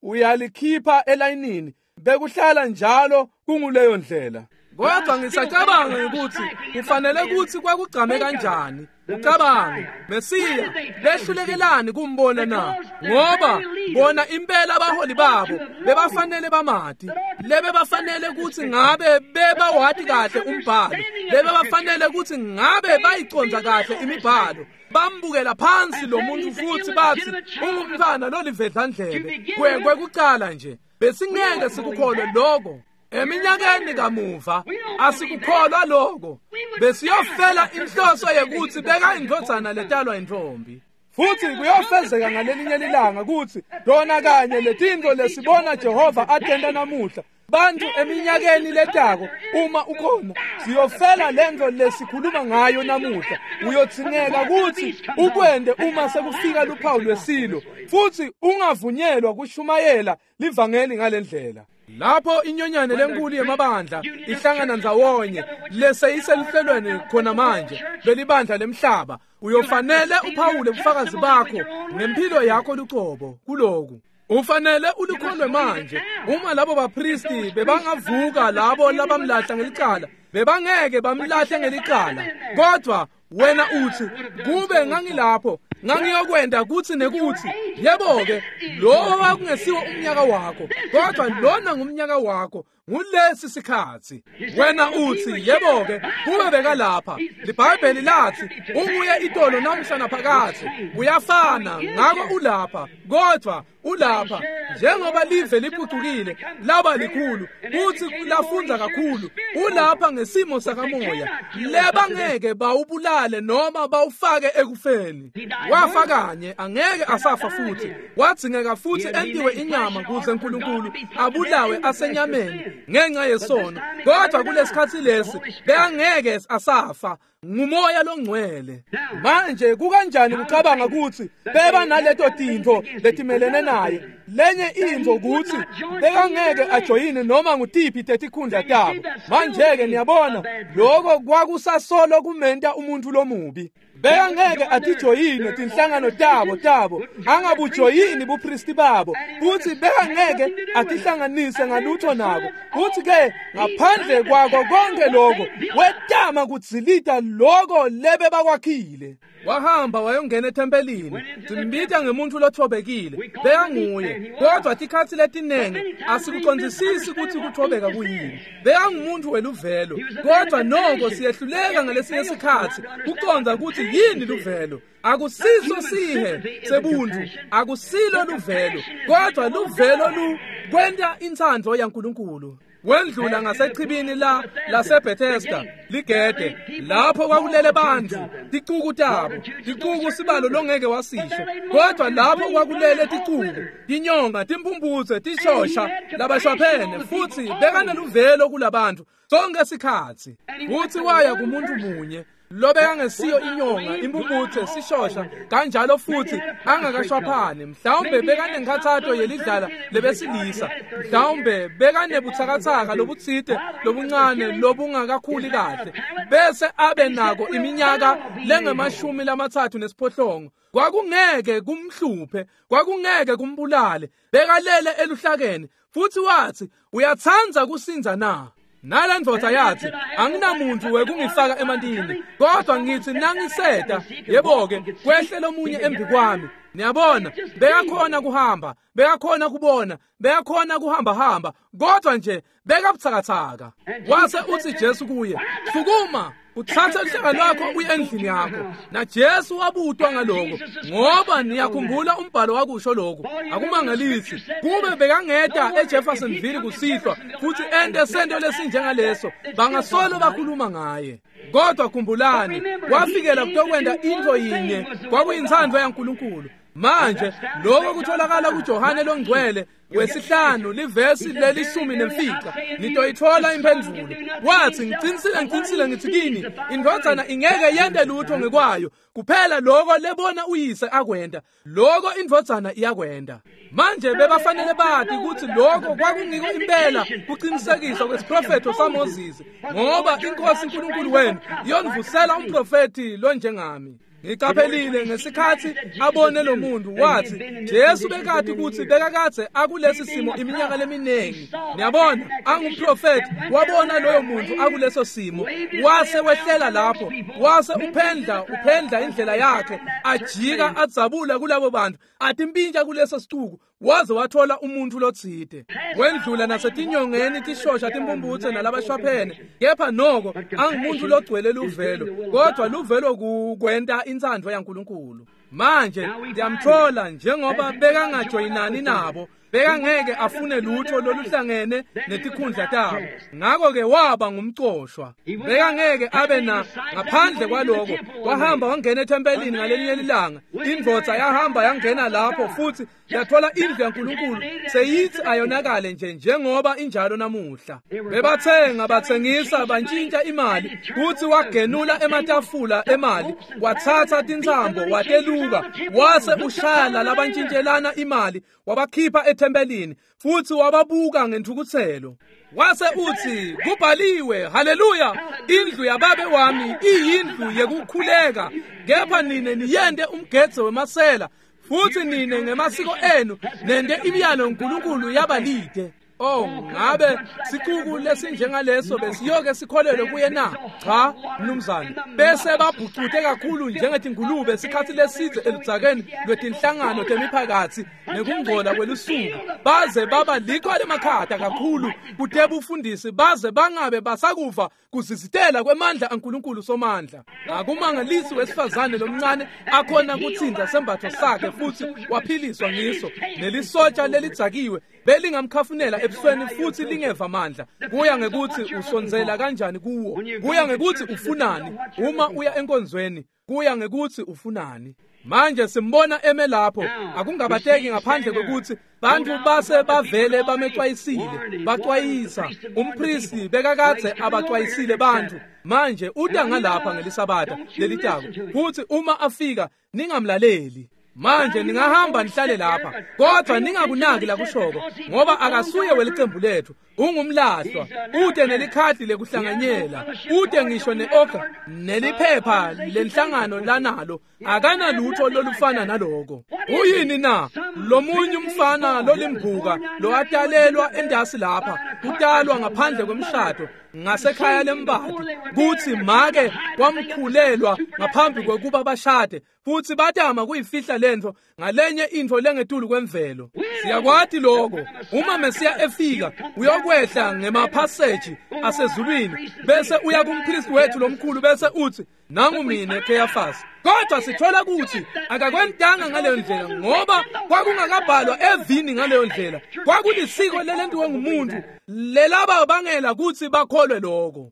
uyalikhipha elayinini, bekuhlala njalo kunguleyo ndlela. Kodwa ngisacabanga ukuthi kufanele ukuthi kwakugcame kanjani. Ucabange Mesiya behlulekelani kumbona na? Ngoba bona impela abaholi babo bebafanele bamati, lebe bafanele ukuthi ngabe bebawati kahle umbhalo, lebe bafanele ukuthi ngabe bayiconza kahle imibhalo. Bambukela phansi lo muntu futhi bathi ungumntwana lolivedlandlebe. Kwekucala nje besingeke sikukholwe lokho. Eminyakeni kamuva asikukholwa lokho, besiyofela inhloso yekuthi beka indvodzana letalwa intombi. Futhi kuyofezeka ngalelinye lilanga kuthi lona kanye letintfo lesibona Jehova atenta namuhla, bantu eminyakeni letako uma ukhona siyofela lento lesikhuluma ngayo namuhla. Uyodzingeka ukuthi ukwende uma sekufika luphawu lwesilo, futhi ungavunyelwa kushumayela livangeli ngalendlela. Lapho inyonyane lenkulu yemabandla ihlangana ndzawonye leseyiseluhlelweni khona manje lelibandla lemhlaba, uyofanele uphawule ubufakazi bakho ngempilo yakho lucobo kuloku. Ufanele ulikholwe manje. Uma labo bapristi bebangavuka labo labamlahla ngelicala, bebangeke bamlahle ngelicala. Kodwa wena uthi kube ngangilapho ngangiyokwenda kuthi nekuthi. Yebo-ke, lowo wakungesiwo umnyaka wakho, kodwa lona ngumnyaka wakho, ngulesi sikhathi. Wena uthi yebo-ke, kube bekalapha. LiBhayibheli lathi unguye itolo namhla naphakathi, uyafana, ngako ulapha. Kodwa ulapha njengoba live liphucukile laba likhulu futhi lafundza kakhulu, ulapha ngesimo sakamoya lebangeke bawubulale noma bawufake ekufeni. Wafa kanye, angeke asafa futhi. Wadzingeka futhi entiwe inyama kuze uNkulunkulu abulawe asenyameni ngenxa yesono. Kodwa kulesikhatsi lesi bekangeke asafa, ngumoya longcwele. Manje kukanjani kucabanga kutsi beba naleto tintfo letimelene naye? Lenye intfo kutsi bekangeke ajoyine noma ngutiphi tetikhundla tabo. Manje-ke niyabona lokho kwakusasolo kumenta umuntu lomubi. Bekangeke atijoyine tinhlangano tabo tabo, angabujoyini bupristi babo, futhi bekangeke atihlanganise ngalutho nabo. Futhi-ke ngaphandle kwako konke lokho wetama kudzilita loko lebe bakwakhile. Wahamba wayongena ethempelini, simbita ngemuntu lothobekile, bekanguye. Kodwa tikhatsi letinengi asikucondzisisi kutsi kuthobeka kuyini. Bekangumuntu weluvelo, kodwa noko siyehluleka ngalesinye sikhatsi kucondza kutsi yini luvelo. Akusiso sihe sebuntu, akusilo luvelo, kodwa luvelo lu kwenta intsandvo yaNkulunkulu. Wendlula ngasechibini la laseBethesda ligede, lapho kwakulele bantfu ticuku tabo, ticuku sibalo longeke wasisho, kodwa lapho kwakulele ticuku, tinyonga, timphumphutse, tishosha labashwaphene, futhi bekaneluvelo kulabantu sonke sikhatsi. Futhi waya kumuntu munye lobekangesiyo inyonga, imphumphutse, sishosha kanjalo, futhi angakashwaphani. Mhlawumbe bekanenkhathato yelidlala lebesilisa, mhlawumbe bekanebutsakatsaka lobutsite lobuncane lobungakakhuli kahle, bese abe nako iminyaka lengemashumi lamatsatfu nesiphohlongo. Kwakungeke kumhluphe, kwakungeke kumbulale, bekalele eluhlakeni. Futhi wathi, uyatsandza kusindza na? Nale ndvodza yathi, anginamuntu wekungifaka emantini, kodwa ngithi nangiseta, yebo-ke, kwehle lomunye embi kwami. Niyabona, bekakhona kuhamba, bekakhona kubona, bekakhona kuhambahamba, kodwa nje bekabutsakatsaka. Wase utsi Jesu kuye, sukuma, utsatse luhlaka lwakho uye endlini yakho. Na Jesu wabutwa ngaloko, ngoba niyakhumbula umbhalo wakusho lokhu. Akumangalisi kube bekangeta eJeffersonville kusihlwa futhi ente sento lesinjengaleso, bangasolo bakhuluma ngaye. Kodwa khumbulani, wafikela kutokwenta intfo yinye, kwakuyintsandvo yaNkulunkulu. Manje lokho kutholakala kuJohane longcwele wesihlanu livesi lelishumi nemfica. Nitoyithola imphendvulo. Wathi, ngicinisile ngicinisile ngithi kini, indvodzana ingeke yente lutho ngekwayo, kuphela lokho lebona uyise akwenta, lokho indvodzana iyakwenta. Manje bebafanele bati kutsi lokho kwakungiko impela kucinisekiswa kwesiprofetho saMoses, ngoba inkosi uNkulunkulu wenu iyonivusela umprofethi lonjengami. Ngiqaphelile ngesikhatsi abone lo muntu, wathi Jesu bekati kutsi bekakadze akulesi simo iminyaka leminingi. Niyabona, angumprofethi, wabona loyo muntu akuleso simo, wase wehlela lapho, wase uphendla uphendla indlela yakhe, ajika adzabula kulabo bantu, atimpintsha kuleso sicuku, waze wathola umuntu lotsite. Wendlula nasetinyongeni, tishosha, timphumphutse nalabashwaphene, kepha noko angumuntu logcwele luvelo, kodwa luvelo kukwenta intsandvo yaNkulunkulu. Manje ndiyamthola njengoba bekangajoyinani nabo, bekangeke afune lutho loluhlangene netikhundla tabo, ngakho-ke waba ngumcoshwa. Bekangeke abe na ngaphandle kwaloko. Wahamba wangena ethempelini ngalelinye lilanga, indvodza yahamba yangena lapho futhi yathola indlu yaNkulunkulu seyithi ayonakale nje njengoba injalo namuhla. Bebathenga, bathengisa, bantshintsha imali, futhi wagenula ematafula emali, wathatha tintsambo wateluka, wase ushaya labantshintshelana imali, wabakhipha ethempelini, futhi wababuka ngenthukuthelo. Wase uthi, kubhaliwe, haleluya, indlu yababe wami iyindlu yekukhuleka, kepha nine niyente umgedze wemasela, futhi nine ngemasiko enu nente imiyalo yaNkulunkulu yabalide. Oh, ngabe sicuku lesinjengaleso besiyoke sikholelwe kuye na? Cha, mnumzane. Bese babhucute kakhulu njengetingulube sikhatsi lesidze eludzakeni lwetinhlangano temiphakatsi nekungcola kwelusuku, baze baba likhwa lemakhata kakhulu kutebufundisi, baze bangabe basakuva kuzizitela kwemandla aNkulunkulu somandla. Akumangalisi wesifazane lomncane akhona kutsinda sembatho sakhe futhi waphiliswa ngiso, nelisotsha lelidzakiwe belingamkhafunela ebusweni futhi lingeva mandla. Kuya ngekuthi usondzela kanjani kuwo, kuya ngekuthi ufunani uma uya enkonzweni. Kuya ngekutsi ufunani. Manje simbona eme lapho, akungabateki ngaphandle kwekutsi bantfu base bavele bamecwayisile, bacwayisa. Umpristi bekakadze abacwayisile bantfu. Manje uta ngalapha ngeliSabatha lelitako, futsi uma afika ningamlaleli. Manje ningahamba nihlale lapha, kodwa ningakunaki lakushoko, ngoba akasuye welicembu letfu, ungumlahlwa, ute nelikhadi lekuhlanganyela, ute ngisho ne-oga neliphepha lenhlangano lanalo, akanalutho lolufana naloko. Uyini na? Lomunye umfana lolimbuka lowatalelwa endasi lapha, kutalwa ngaphandle kwemshado ngasekhaya lembati, kutsi make wamkhulelwa ngaphambi kwekuba bashade, futsi batama kuyifihla lentfo ngalenye intfo lengetulu kwemvelo. Siyakwati lokho. Uma Mesiya efika uyokwehla ngemaphaseji asezulwini, bese uya kumpristi wethu lomkhulu, bese utsi, nangu mine Kheyafasi. Kodwa sithola kutsi akakwentanga ngaleyo ndlela, ngoba kwakungakabhalwa evini ngaleyo ndlela. Kwakulisiko lelentiwe ngumuntu lelaba bangela kutsi bakholwe lokho.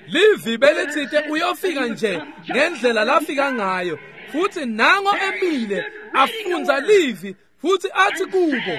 Livi belitsite uyofika nje ngendlela lafika ngayo, futsi nango emile afundza livi, futsi atsi kubo,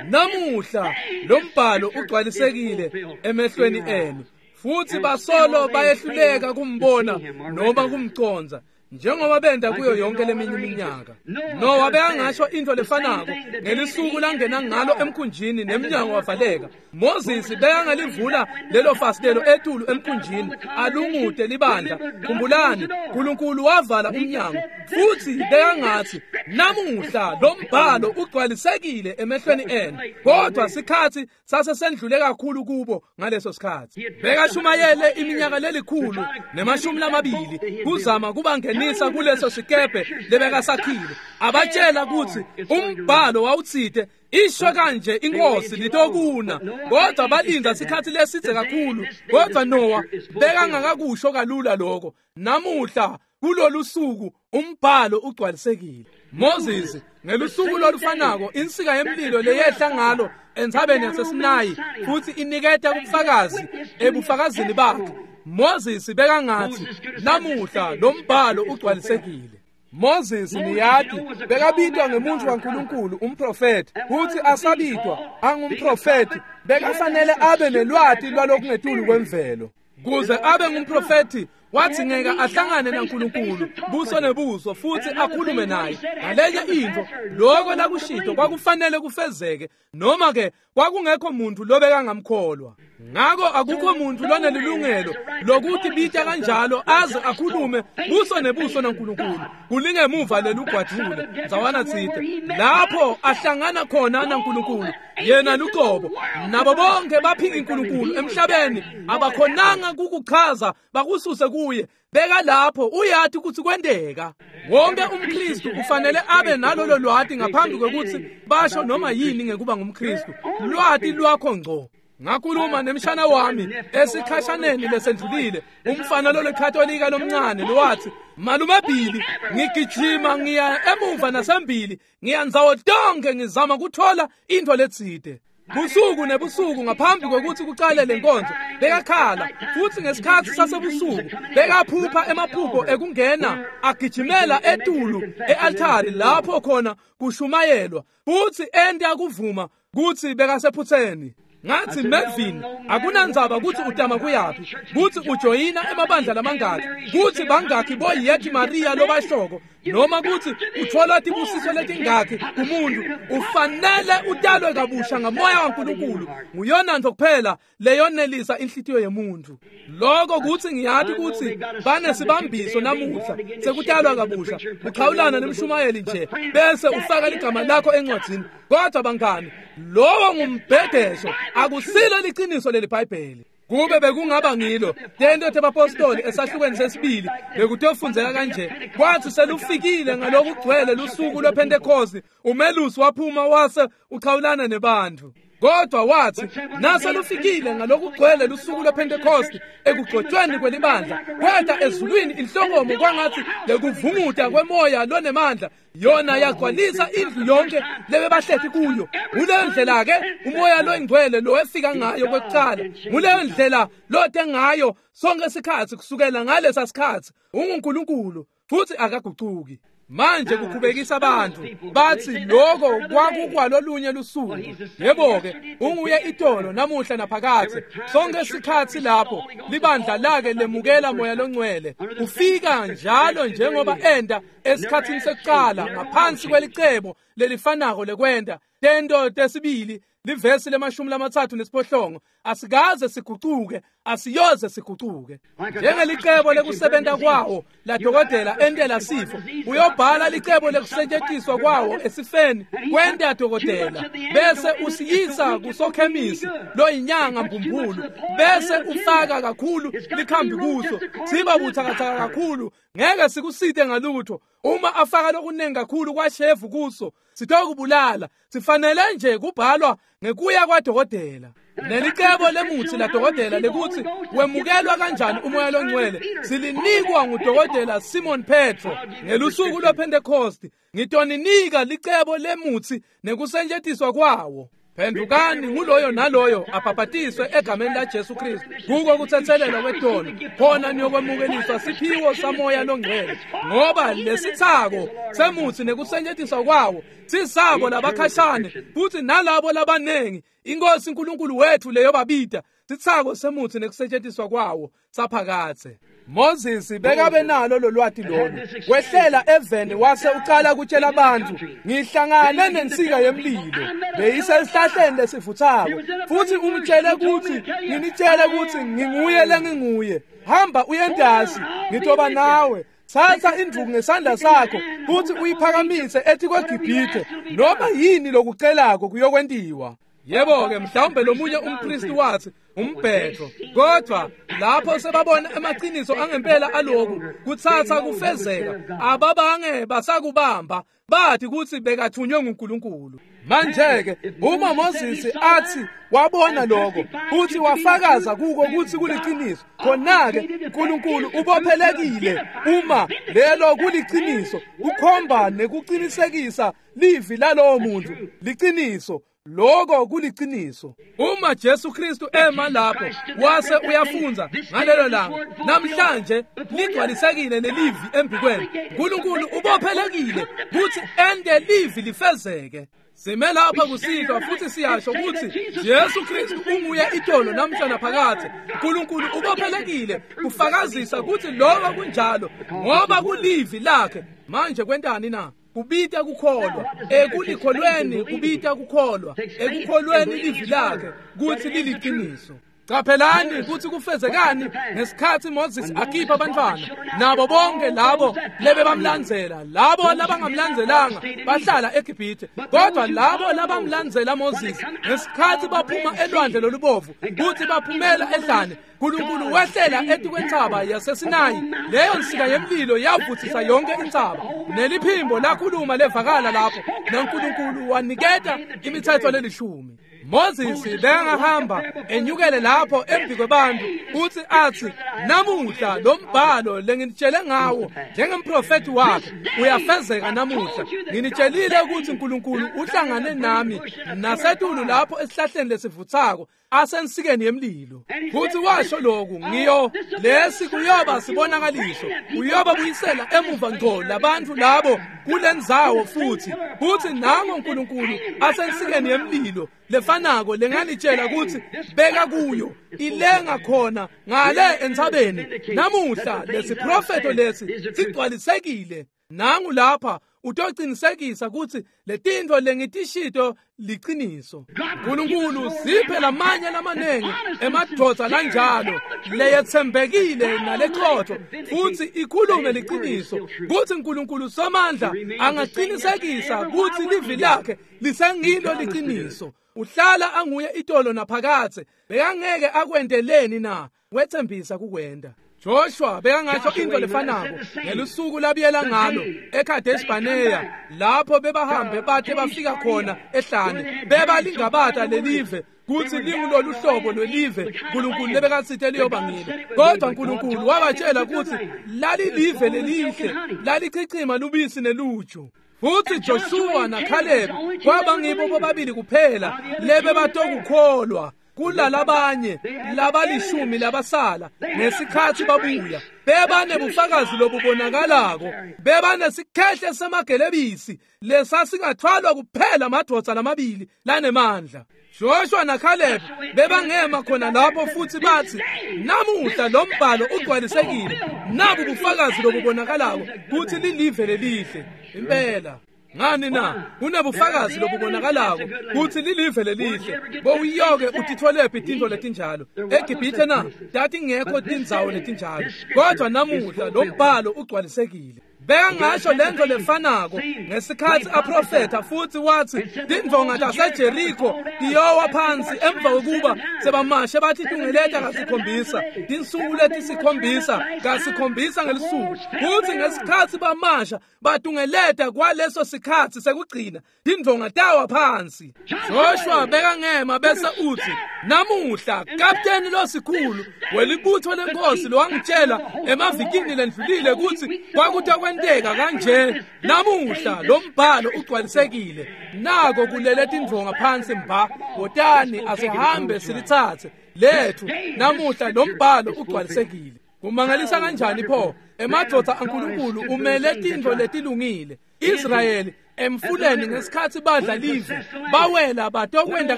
namuhla lo mbhalo ugcwalisekile emehlweni enu. Futsi basolo bayehluleka kumbona noma kumcondza, njengoba benta kuyo yonke leminye iminyaka. Nowa bekangasho intfo lefanako ngelisuku langena ngalo emkhunjini nemnyango wavaleka. Moses bekangalivula lelo fasitelo etulu emkhunjini alungute libandla. Khumbulani, Nkulunkulu wavala umnyango, futsi bekangatsi, namuhla lo mbhalo ugcwalisekile emehlweni enu. Kodwa sikhatsi sasesendlule kakhulu kubo ngaleso sikhatsi. Bekashumayele iminyaka lelikhulu nemashumi lamabili kuzama kubangenisa kuleso sikebhe lebekasakhile, abatshela kutsi umbhalo wawutsite isho kanje inkosi litokuna. Kodwa balinda sikhatsi lesidze kakhulu. Kodwa Nowa bekangakakusho kalula lokho. Namuhla kulolu suku umbhalo ugcwalisekile. Moses ngelusuku lolufanako insika yemlilo leyehla ngalo entsabeni yaseSinayi futsi iniketa ubufakazi ebufakazini bakhe. Moses bekangatsi, namuhla lo mbhalo ugcwalisekile. Moses niyati bekabitwa ngemuntu waNkulunkulu, umprofeti, futsi asabitwa angumprofeti bekafanele abe nelwati lwalokungetulu kwemvelo. Kuze abe ngumprofeti wathi ngeke ahlangane naNkulunkulu buso nebuso futsi akhulume naye. Ngalenye intfo lokho lakushito kwakufanele kufezeke, noma ke kwakungekho muntu lobekangamkholwa. Ngako akukho muntu lonelilungelo lokuthi bita kanjalo aze akhulume buso nebuso naNkulunkulu. Kulingemuva lelugwadvule ndzawana tsite lapho ahlangana khona naNkulunkulu yena luqobo. Nabo bonke baphika uNkulunkulu emhlabeni abakhonanga kukuchaza bakususe kuye. Beka lapho uyati kutsi kwenteka. Wonke umKristu ufanele abe nalolo lwati ngaphambi kwekutsi basho noma yini ngekuba ngumKristu. Lwati lwakho ngco. Ngakhuluma nemshana wami esikhashaneni lesendlulile, umfana lolekhatolika lomncane lowathi, malume Billy, ngigijima ngiya emuva nasembili, ngiya ndzawo tonke ngizama kuthola intfo letsite. Busuku nebusuku ngaphambi kwekutsi kucale lenkonzo bekakhala, futsi ngesikhatsi sasebusuku bekaphupha emaphupho ekungena agijimela etulu e-altari lapho khona kushumayelwa, futsi enta kuvuma kutsi bekasephutseni. Ngathi, Melvin, akunandzaba kutsi utama kuyaphi, kutsi ujoyina emabandla lamangaki, kutsi bangakhi boyethi Maria lobashoko, noma kutsi uthola tibusiso letingakhi kumuntu, ufanele utalwe kabusha ngamoya waNkulunkulu. Nguyona nto kuphela leyonelisa inhlitiyo yemuntu. Lokho kutsi ngiyati kutsi banesibambiso namuhla sekutalwa kabusha, uxhawulana nemshumayeli nje bese ufaka ligama lakho encwadzini. Kodwa bangani, lowo ngumbhedesho, akusilo liciniso leliBhayibheli. Kube bekungaba ngilo tento tebapostoli esahlukweni sesibili bekutofundzeka kanje: kwathi selufikile ngalokugcwele lusuku lwePhentekosti, umelusi waphuma wase uchawulana nebantfu. Kodwa wathi naselufikile ngalokugcwele lusuku lwePhentekosti ekugcotshweni kwelibandla, kweta ezulwini inhlokomo kwangathi lekuvunguta kwemoya lonemandla, yona yagcwalisa indlu yonke lebebahleti kuyo. Nguleyo ndlela ke umoya loyingcwele lowefika ngayo kwekucala, nguleyo ndlela lote ngayo sonke sikhatsi kusukela ngalesa sikhatsi. UnguNkulunkulu, Futhi akagucuki. Manje kukhubekisa abantu bathi lokho kwakukwalolunye lusuku. Yebo-ke, unguye itolo namuhla naphakathe. Sonke isikhathi lapho libandla lake lemukela moya longcwele ufika njalo njengoba enda esikhathini sekuqala ngaphansi kwelicebo lelifanako lekwenda. Tento tesibili livesi lemashumi lamathathu nesiphohlongo, asikaze sigucuke, asiyoze sigucuke. Njengelicebo lekusebenta kwawo ladokotela entela sifo, uyobhala licebo lekusetshenziswa kwawo esifeni kwenta dokotela, bese usiyisa kusokhemisi loyinyanga mbumbulu, bese ufaka kakhulu likhambi kuso, siba buthakathaka kakhulu, ngeke sikusite ngalutho. Uma afaka lokunengi kakhulu kwashevu kuso, sitokubulala. Sifanele nje kubhalwa ngekuya kwadokotela. Nelicebo lemutsi ladokotela lekuthi wemukelwa kanjani umoya longcwele silinikwa ngudokotela Simon Petro ngelusuku lwePentecost. Ngitoninika licebo lemutsi nekusetjentiswa kwawo. Phendukani nguloyo naloyo abhabhatiswe egameni la Jesu Kristu kuko kuthethelelwa kwetono, khona niyokwemukeliswa siphiwo samoya longcwele. Ngoba lesithako semutsi nekusetjentiswa kwawo sisabo labakhashane futhi nalabo labanengi iNkosi uNkulunkulu wethu leyobabida. Sithako semutsi nekusetjentiswa kwawo saphakathe. Moses bekabe nalo lolwati lolu, wehlela eveni wase ucala kutshela abantu, ngihlangane nensika yemlilo beyisesihlahleni lesivuthako, futhi ungitshele ukuthi nginitshele ukuthi nginguye lenginguye. Hamba uyendasi, ngitoba nawe. Thatha induku ngesandla sakho futhi uyiphakamise ethi kweGibhithe, noma yini lokucelako kuyokwentiwa. Yebo-ke, mhlawumbe lomunye umpristi wathi umbhetho, kodwa lapho sebabona emaqiniso angempela aloku kuthatha kufezeka, ababange basakubamba, bathi kuthi bekathunywe nguNkulunkulu. Manje-ke uma Moses athi wabona lokho futhi wafakaza kuko ukuthi kuliqiniso, khona-ke uNkulunkulu ubophelekile uma lelo kuliqiniso kukhomba nekuqinisekisa livi lalowo muntu liqiniso. Lokho kuliqiniso. Uma Jesu Kristu ema lapho wase uyafunza ngalelo langa, namhlanje ligcwalisekile nelivi embikweni, uNkulunkulu ubophelekile ukuthi ende livi lifezeke. Sime lapha kusihlwa futhi siyasho ukuthi Jesu Kristu unguye itolo namhla naphakathe. uNkulunkulu ubophelekile kufakazisa ukuthi lokho kunjalo ngoba kulivi lakhe. Manje kwentani na? Kubita kukholwa. Ekulikholweni kubita kukholwa. Ekukholweni livi lakhe kuthi liliqiniso. Qaphelani ukuthi kufezekani ngesikhathi Moses akhipha abantwana nabo bonke labo lebebamlandzela. Labo labangamlandzelanga bahlala eGibhithe, kodwa labo labamlandzela Moses ngesikhathi baphuma elwandle lolubovu kuthi baphumela ehlane, uNkulunkulu wehlela etikwentsaba yaseSinayi. Leyo nsika yemlilo yavuthisa yonke intsaba, neliphimbo lakhuluma levakala lapho, naNkulunkulu waniketa imithetho lelishumi. Moses bekangahamba enyukele lapho embi kwebantu uthi athi, namuhla lo mbhalo lenginitshele ngawo njengemprofethi wakhe uyafezeka namuhla. Nginitshelile ukuthi uNkulunkulu uhlangane nami nasetulu lapho esihlahleni lesivuthako asensikeni yemlilo. Futhi washo lokhu, ngiyo lesi kuyoba sibonakaliso, uyoba buyisela emuva ngqo labantu labo kulendzawo futhi. Futhi nango uNkulunkulu asensikeni yemlilo lefanako lenganitshela ukuthi beka kuyo ilenga khona ngale entsabeni. Namuhla lesiprofeto lesi sigcwalisekile. Nangu lapha utocinisekisa ukuthi letintfo lengitishito liqiniso. uNkulunkulu siphe lamanye lamanengi emadvodza lanjalo leyetsembekile naleqotho futhi ikhulume liqiniso, kuthi uNkulunkulu somandla angaqinisekisa ukuthi livi lakhe lisengilo liqiniso. Uhlala anguye itolo naphakathe. Bekangeke akwenteleni na? Wethembisa kukwenda. Joshua bekangasho into lefanako ngelusuku labiyela ngalo eKadesh Barnea, lapho bebahambe bathe bafika khona ehlane, bebalingabata lelive kuthi lingulolu hlobo lwelive uNkulunkulu lebekatsite liyoba ngilo. Kodwa uNkulunkulu wabatshela ukuthi lalilive lelihle, lalichichima lubisi neluju. Futhi Joshua naCaleb kwaba ngibo bobabili kuphela lebe batokukholwa. Kulalabanye labalishumi labasala ngesikhathi babuya bebanebufakazi lobubonakalako, bebanesikhehle semagelebisi lesasingathwalwa kuphela amadvodza lamabili lanemandla. Joshua naCaleb bebangema khona lapho futhi bathi, namuhla lo mbhalo ugcwalisekile, nabu bufakazi lobubonakalako kuthi lilive lelihle impela. Ngani na? Kunebufakazi lobubonakalako kuthi lilive lelihle. Bowuyoke utitholephi tintfo letinjalo eGibhithe na? Tatingekho tindzawo letinjalo, kodwa namuhla lo mbhalo ugcwalisekile. Bekangasho lento lefanako ngesikhathi aprofetha futhi wathi tindvonga taseJeriko tiyowa phansi emva kokuba sebamashe bathi tungeleta kasikhombisa, tinsuku letisikhombisa kasikhombisa ngelisuku. Kuthi ngesikhathi bamasha batungeleta kwaleso sikhathi sekugcina tindvonga tawa phansi. Joshua bekangema bese uthi, namuhla kapteni losikhulu welibutho lenkosi lowangitshela emavikini lendlulile ukuthi kwakutawenteka kanje, namuhla lo mbhalo ugcwalisekile, nako kulele tindvonga phansi mba, wotani asihambe silitsatse lethu, namuhla lo mbhalo ugcwalisekile. Kumangalisa kanjani pho emadvodza aNkulunkulu umele tintfo letilungile. Israyeli emfuleni ngesikhathi badla live bawela batokwenda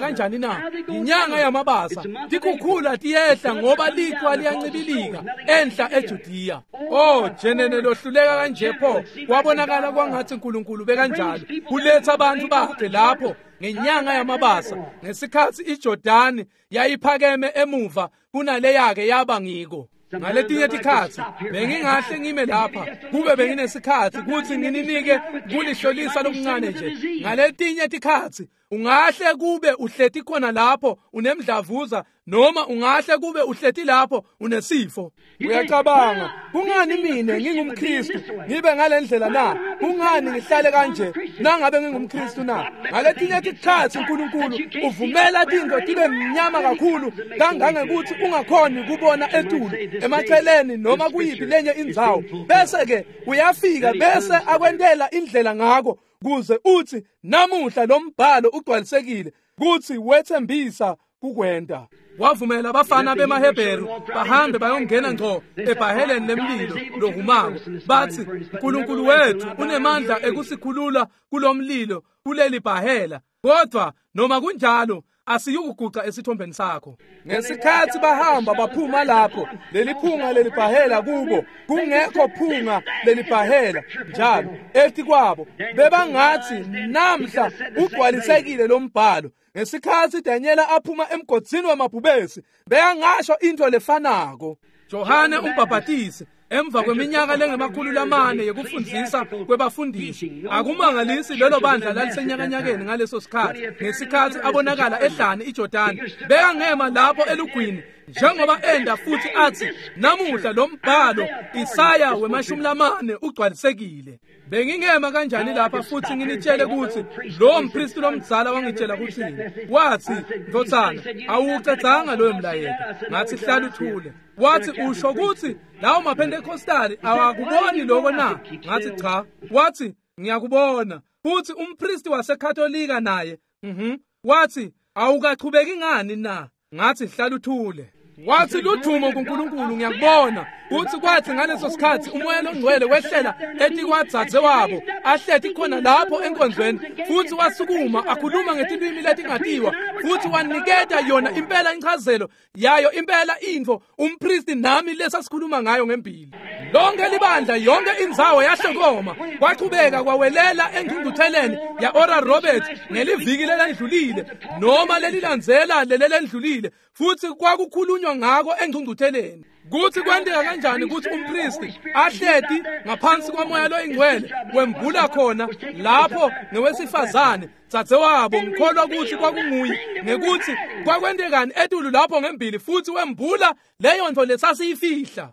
kanjani na? Inyanga yamabasa tikhukhula tiyehla ngoba liqhwa liyancibilika enhla eJudiya. Oh jenene lohluleka kanje pho, kwabonakala kwangathi uNkulunkulu bekanjalo kuletha abantu bakhe lapho ngenyanga yamabasa ngesikhathi iJordani yayiphakeme emuva kunaleyake yaba ngiko. Ngaletinye tikhatsi bengingahle ngime lapha kube benginesikhatsi kutsi ngininike kulihlolisa lokuncane nje. Ngaletinye tikhatsi ungahle kube uhleti khona lapho unemdlavuza, noma ungahle kube uhleti lapho unesifo. Uyacabanga, kungani mina ngingumKristu ngibe ngalendlela na? Kungani ngihlale kanje nangabe ngingumKristu na? Ngaletinye tikhatsi uNkulunkulu uvumela tintfo tibe mnyama kakhulu kangangekuthi ungakhoni kubona etulu emaceleni noma kuyiphi lenye indzawo, bese ke uyafika bese akwentela indlela ngako kuze uthi namuhla lo mbhalo ugcwalisekile kuthi wethembisa kukwenta. Wavumela abafana bemaHebheru bahambe bayongena ngco ebhaheleni lemlilo lohumako, bathi uNkulunkulu wethu unemandla ekusikhulula kulomlilo kuleli bhahela, kodwa noma kunjalo asiyukuguca esithombeni sakho. Ngesikhathi bahamba baphuma lapho leliphunga lelibhahela kubo kungekho phunga lelibhahela njalo etikwabo, bebangathi namhla ugcwalisekile lo mbhalo. Ngesikhathi Daniela aphuma emgodzini wamabhubesi bekangasho into lefanako. Johane umbhabhatisi emva kweminyaka lengemakhulu lamane yekufundzisa kwebafundisi, akumangalisi lelo bandla lalisenyakanyakeni ngaleso sikhathi ngesikhathi abonakala ehlane iJordani, bekangema lapho elugwini njengoba enda futhi athi namuhla lo mbhalo Isaya wemashumi lamane ugcwalisekile. Bengingema kanjani lapha futhi nginitshele ukuthi lo mpristi lomdzala wangitshela kuthini? Wathi, ndvodzana, awucedzanga loyo mlayeto. Ngathi, hlala uthule. Wathi, usho ukuthi lawo maPentecostali awakuboni lokho na? Ngathi, cha. Wathi, ngiyakubona. Futhi umpristi waseKatolika naye, mhm. Wathi, awukachubeki ngani na? Ngathi, hlala uthule. Wathi, ludvumo kuNkulunkulu, ngiyakubona. Uthi kwathi ngaleso sikhathi umoya longcwele wehlela etikwadzadze wabo ahleti khona lapho enkonzweni, futhi wasukuma akhuluma ngetilwimi letingatiwa, futhi waniketa yona impela inchazelo yayo impela intfo umpristi nami lesasikhuluma ngayo ngembili. Lonke libandla, yonke indzawo yahlokoma, kwachubeka kwawelela engcungcutheleni ya Oral Roberts ngeliviki lelendlulile noma lelilandzela lelendlulile, futhi kwakukhulunywa ngako engcungcutheleni. Kuthi kwenteka kanjani ukuthi umpristi ahleti ngaphansi kwamoya loyingcwele wembula khona lapho ngewesifazane dzadzewabo, ngikholwa ukuthi kwakunguye, ngekuthi kwakwentekani etulu lapho ngembili, futhi wembula leyo nto lesasiyifihla.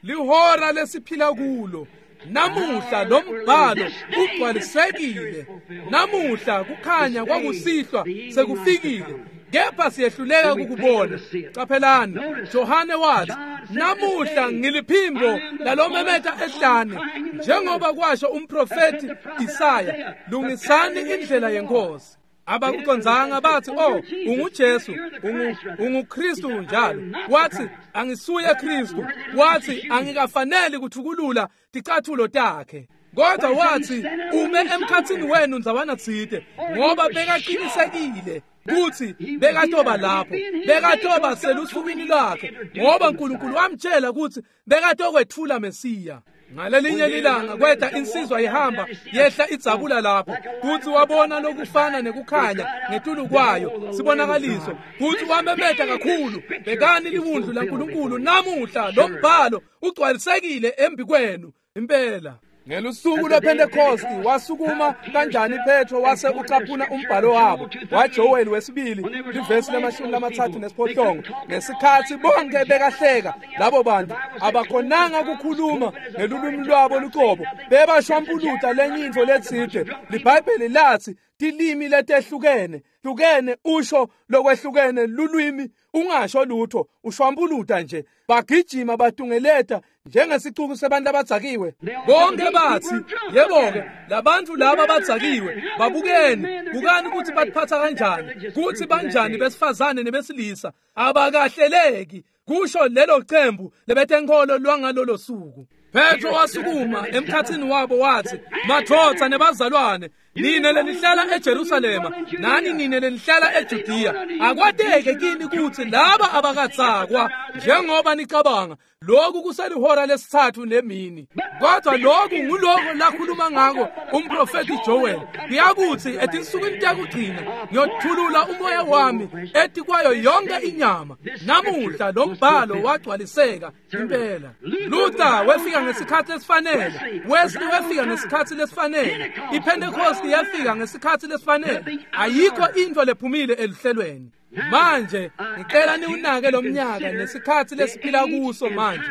Lihora lesiphila kulo namuhla lo mbhalo ugcwalisekile. Namuhla kukhanya kwakusihlwa sekufikile, kepha siyehluleka ukubona. Qaphelani, Johane wathi, namuhla ngiliphimbo lalomemeta ehlane, njengoba kwasho umprofeti Isaya, lungisani indlela yenkosi. Abakucondzanga bathi, oh, unguJesu, ungu unguKristu njalo. Wathi, angisuye Kristu. Wathi, angikafaneli kuthukulula ticathulo takhe. Kodwa wathi, ume emkhathini wenu ndzawana tsite, ngoba bekaqinisekile kuthi bekatoba lapho, bekatoba selusukwini lwakhe, ngoba uNkulunkulu wamtshela ukuthi bekatokwethula Mesiya. Ngalelinye lilanga kweta insizwa ihamba yehla idzabula lapho, kuthi wabona lokufana nekukhanya ngetulu kwayo sibonakaliso, kuthi wamemeta kakhulu, bekani liwundlu laNkulunkulu namuhla lo mbhalo ugcwalisekile embi kwenu impela. Ngelusuku lwePentecost wasukuma kanjani Petro wase ucaphuna umbhalo wabo waJoel wesibili livesi lemashumi lamathathu nesiphohlongo. Ngesikhathi bonke bekahleka labo bantu abakhonanga ukukhuluma ngelulwimi lwabo luqobo, bebashwampuluta lenye intfo letsite. LiBhayibheli lathi tilimi letehlukene hlukene usho lokwehlukene lulwimi ungasho lutho ushwampuluta nje. Bagijima batungeleta njengesicuku sebantu abadzakiwe. Bonke bathi, yebo-ke labantu laba badzakiwe, babukeni, bukani ukuthi batiphatha kanjani, kuthi banjani besifazane nebesilisa, abakahleleki, kusho lelo cembu lebetenkolo lwangalolo suku. Petro wasukuma emkhathini wabo wathi, madvodza nebazalwane, nine lenihlala eJerusalema nani nine lenihlala eJudiya, akwateke kini ukuthi laba abakatsakwa njengoba nicabanga. Lokhu kuselihora lesithathu lemini. Kodwa lokhu nguloko lakhuluma ngako umprofeti Joel. Kuyakuthi etinsukwini tekugcina ngiyothulula umoya wami etikwayo yonke inyama. Namuhla lo mbhalo wagcwaliseka impela. Luther wefika ngesikhathi esifanele, Wesley wefika ngesikhathi lesifanele, iPentecost yafika ngesikhathi lesifanele. Ayikho into lephumile eluhlelweni. Manje ngicela niwunake lo mnyaka nesikhathi lesiphila kuso manje,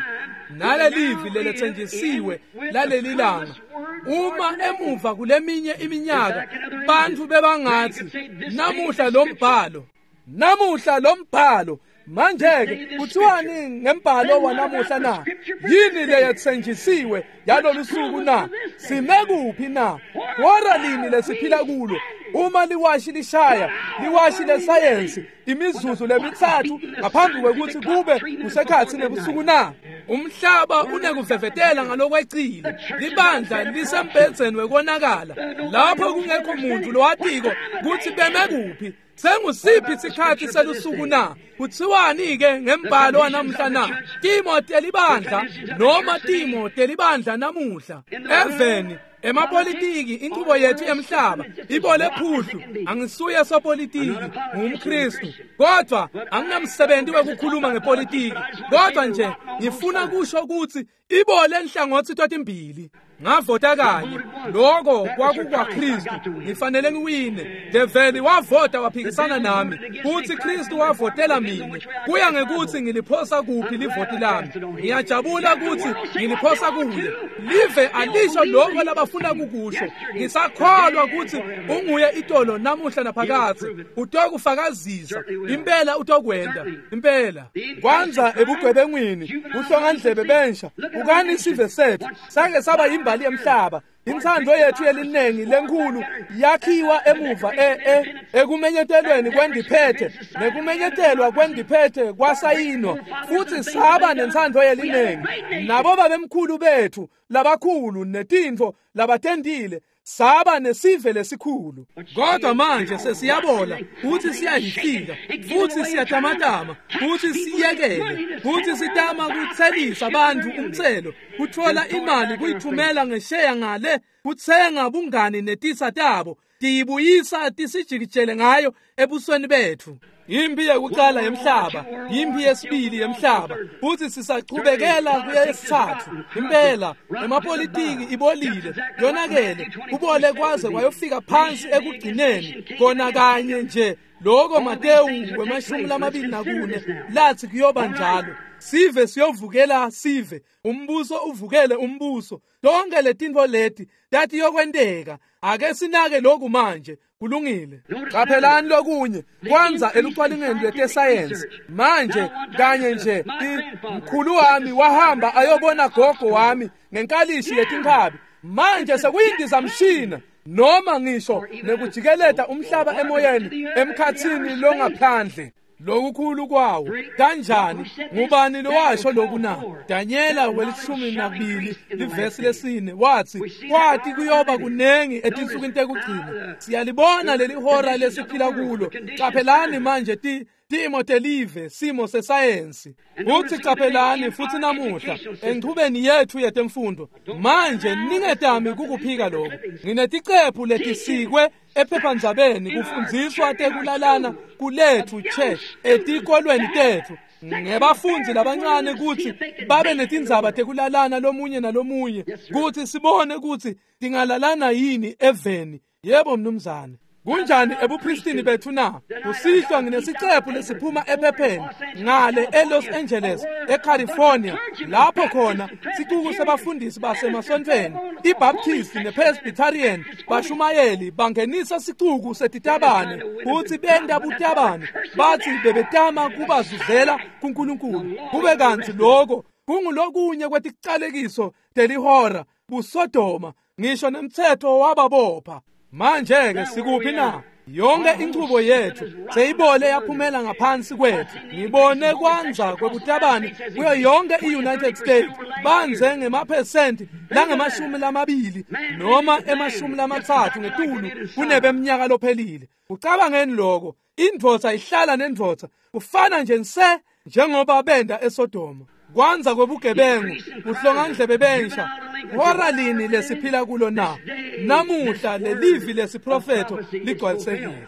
nalelivi lelethenjisiwe laleli langa. Uma emuva kuleminye iminyaka bantu bebangathi namuhla lo mbhalo, namuhla lo mbhalo, manje-ke kuthiwani ngembhalo wanamuhla na? Yini leyethenjisiwe yalolu suku na? Sime kuphi na? Hora lini lesiphila kulo? Uma liwashi lishaya, liwashi lesayensi, imizuzu lemithathu ngaphambi kwekuthi kube kusekhathi nebusuku na? Umhlaba unekuvevetela ngalokwecile, libandla lisembhedzeni wekonakala, lapho kungekho muntu lowatiko kutsi beme kuphi. Sengusiphi isikhathi selusuku na? Kuthiwani-ke ngembhalo wanamuhla na? Timo telibandla noma timo telibandla namuhla eveni emapolitiki, inqubo yethu yemhlaba ibole phuhlu. Angisuye sopolitiki, ngumKristu, kodwa anginamsebenzi wekukhuluma ngepolitiki, kodwa nje ngifuna kusho ukuthi ibole enhlangothi totimbili. Ngavota kanye, lokho kwakukwaKristu, ngifanele ngiwine. Develi wavota waphikisana nami, kuthi Kristu wavotela mina. Kuya ngekuthi ngiliphosa kuphi livoti lami. Ngiyajabula ukuthi ngiliphosa kuye. Live alisho lokho labafuna kukusho. Ngisakholwa ukuthi unguye itolo namuhla naphakathi. Utokufakazisa impela, utokwenda impela. Kwanza ebugwebengwini, kuhlongandlebe bensha, ukani isive sethu sake saba imbali yemhlaba. Inthando yethu yelinengi lenkulu yakhiwa emuva e e ekumenyetelweni kwendiphethe nekumenyetelwa kwendiphethe kwasayinwa, futhi saba nenthando yelinengi. Nabo babemkhulu bethu labakhulu netintfo labatendile, saba nesive lesikhulu. Kodwa manje sesiyabola futhi siyahihlika futhi siyatamatama futhi siyekele futhi sitama kuthelisa abantu umthelo, kuthola imali kuyithumela ngesheya ngale, kuthenga bungani netisa tabo, tiyibuyisa tisijikijele ngayo ebusweni bethu. Impi yokuqala yemhlaba, impi yesibili yemhlaba, futhi sisachubekela kuyesithathu. Impela emapolitiki ibolile, yonakele, kubole kwaze kwayofika phansi ekugcineni kona kanye nje lokho Matewu wemashumi lamabili nakune lathi kuyoba njalo. Sive siyovukela sive, umbuso uvukele umbuso. Tonke letintfo leti tathi yokwenteka. Ake sinake lokhu manje. Kulungile. Qaphelani lokunye kwanza elucwaningweni lwetesayensi manje kanye nje mkhulu wami wahamba ayobona gogo wami ngenkalishi yetinkhabi. Manje sekuyindizamshina. Noma ngisho nekujikeleta umhlaba emoyeni emkhathini longaphandle. Lokukhulu kwawo kanjani? Ngubani lowasho lokhu na? Danyela welishumi nakubili livesi lesine wathi kwathi kuyoba kunengi etinsukwini tekugcina. Siyalibona leli hora lesiphila kulo. Qaphelani manje ti timo telive, simo sesayensi. Uthi qaphelani futhi namuhla enchubeni yethu yetemfundo. Manje ningetami kukuphika lokho. Ngineticephu letisikwe ephephandzabeni kufundziswa tekulalana kulethu che etikolweni tethu ngebafundi labancane kutsi babe netindzaba tekulalana lomunye nalomunye kutsi sibone kutsi tingalalana yini eveni. Yebo mnumzane. Kunjani ebupristini bethu na? Kusihlwa nginesicephu lesiphuma ephepheni ngale eLos Angeles, eCalifornia, lapho khona sicuku sebafundisi basemasontfweni, iBaptist nePresbyterian bashumayeli bangenisa sicuku setitabane kutsi benta butabane, bathi bebetama kubazuzela kuNkulunkulu. Kube kantsi lokho kungulokunye kweticalekiso telihora buSodoma, ngisho nemtsetfo wababopha. Manje ke sikuphi na? Yonke inchubo yethu seyibole yaphumela ngaphansi kwethu. Ngibone kwanza kwebutabane kuyo yonke i-United States banze ngemaphesenti langemashumi lamabili noma emashumi lamatsatfu ngetulu kunebeminyaka lophelile. Ucabangeni lokho? Indvodza ihlala nendvodza kufana nje nse njengoba benda eSodoma. Kwanza kwebugebengu, kuhlongandlebe bensha. Hora lini lesiphila kulo na? Namuhla lelivi lesiprofetho ligcwalisekile.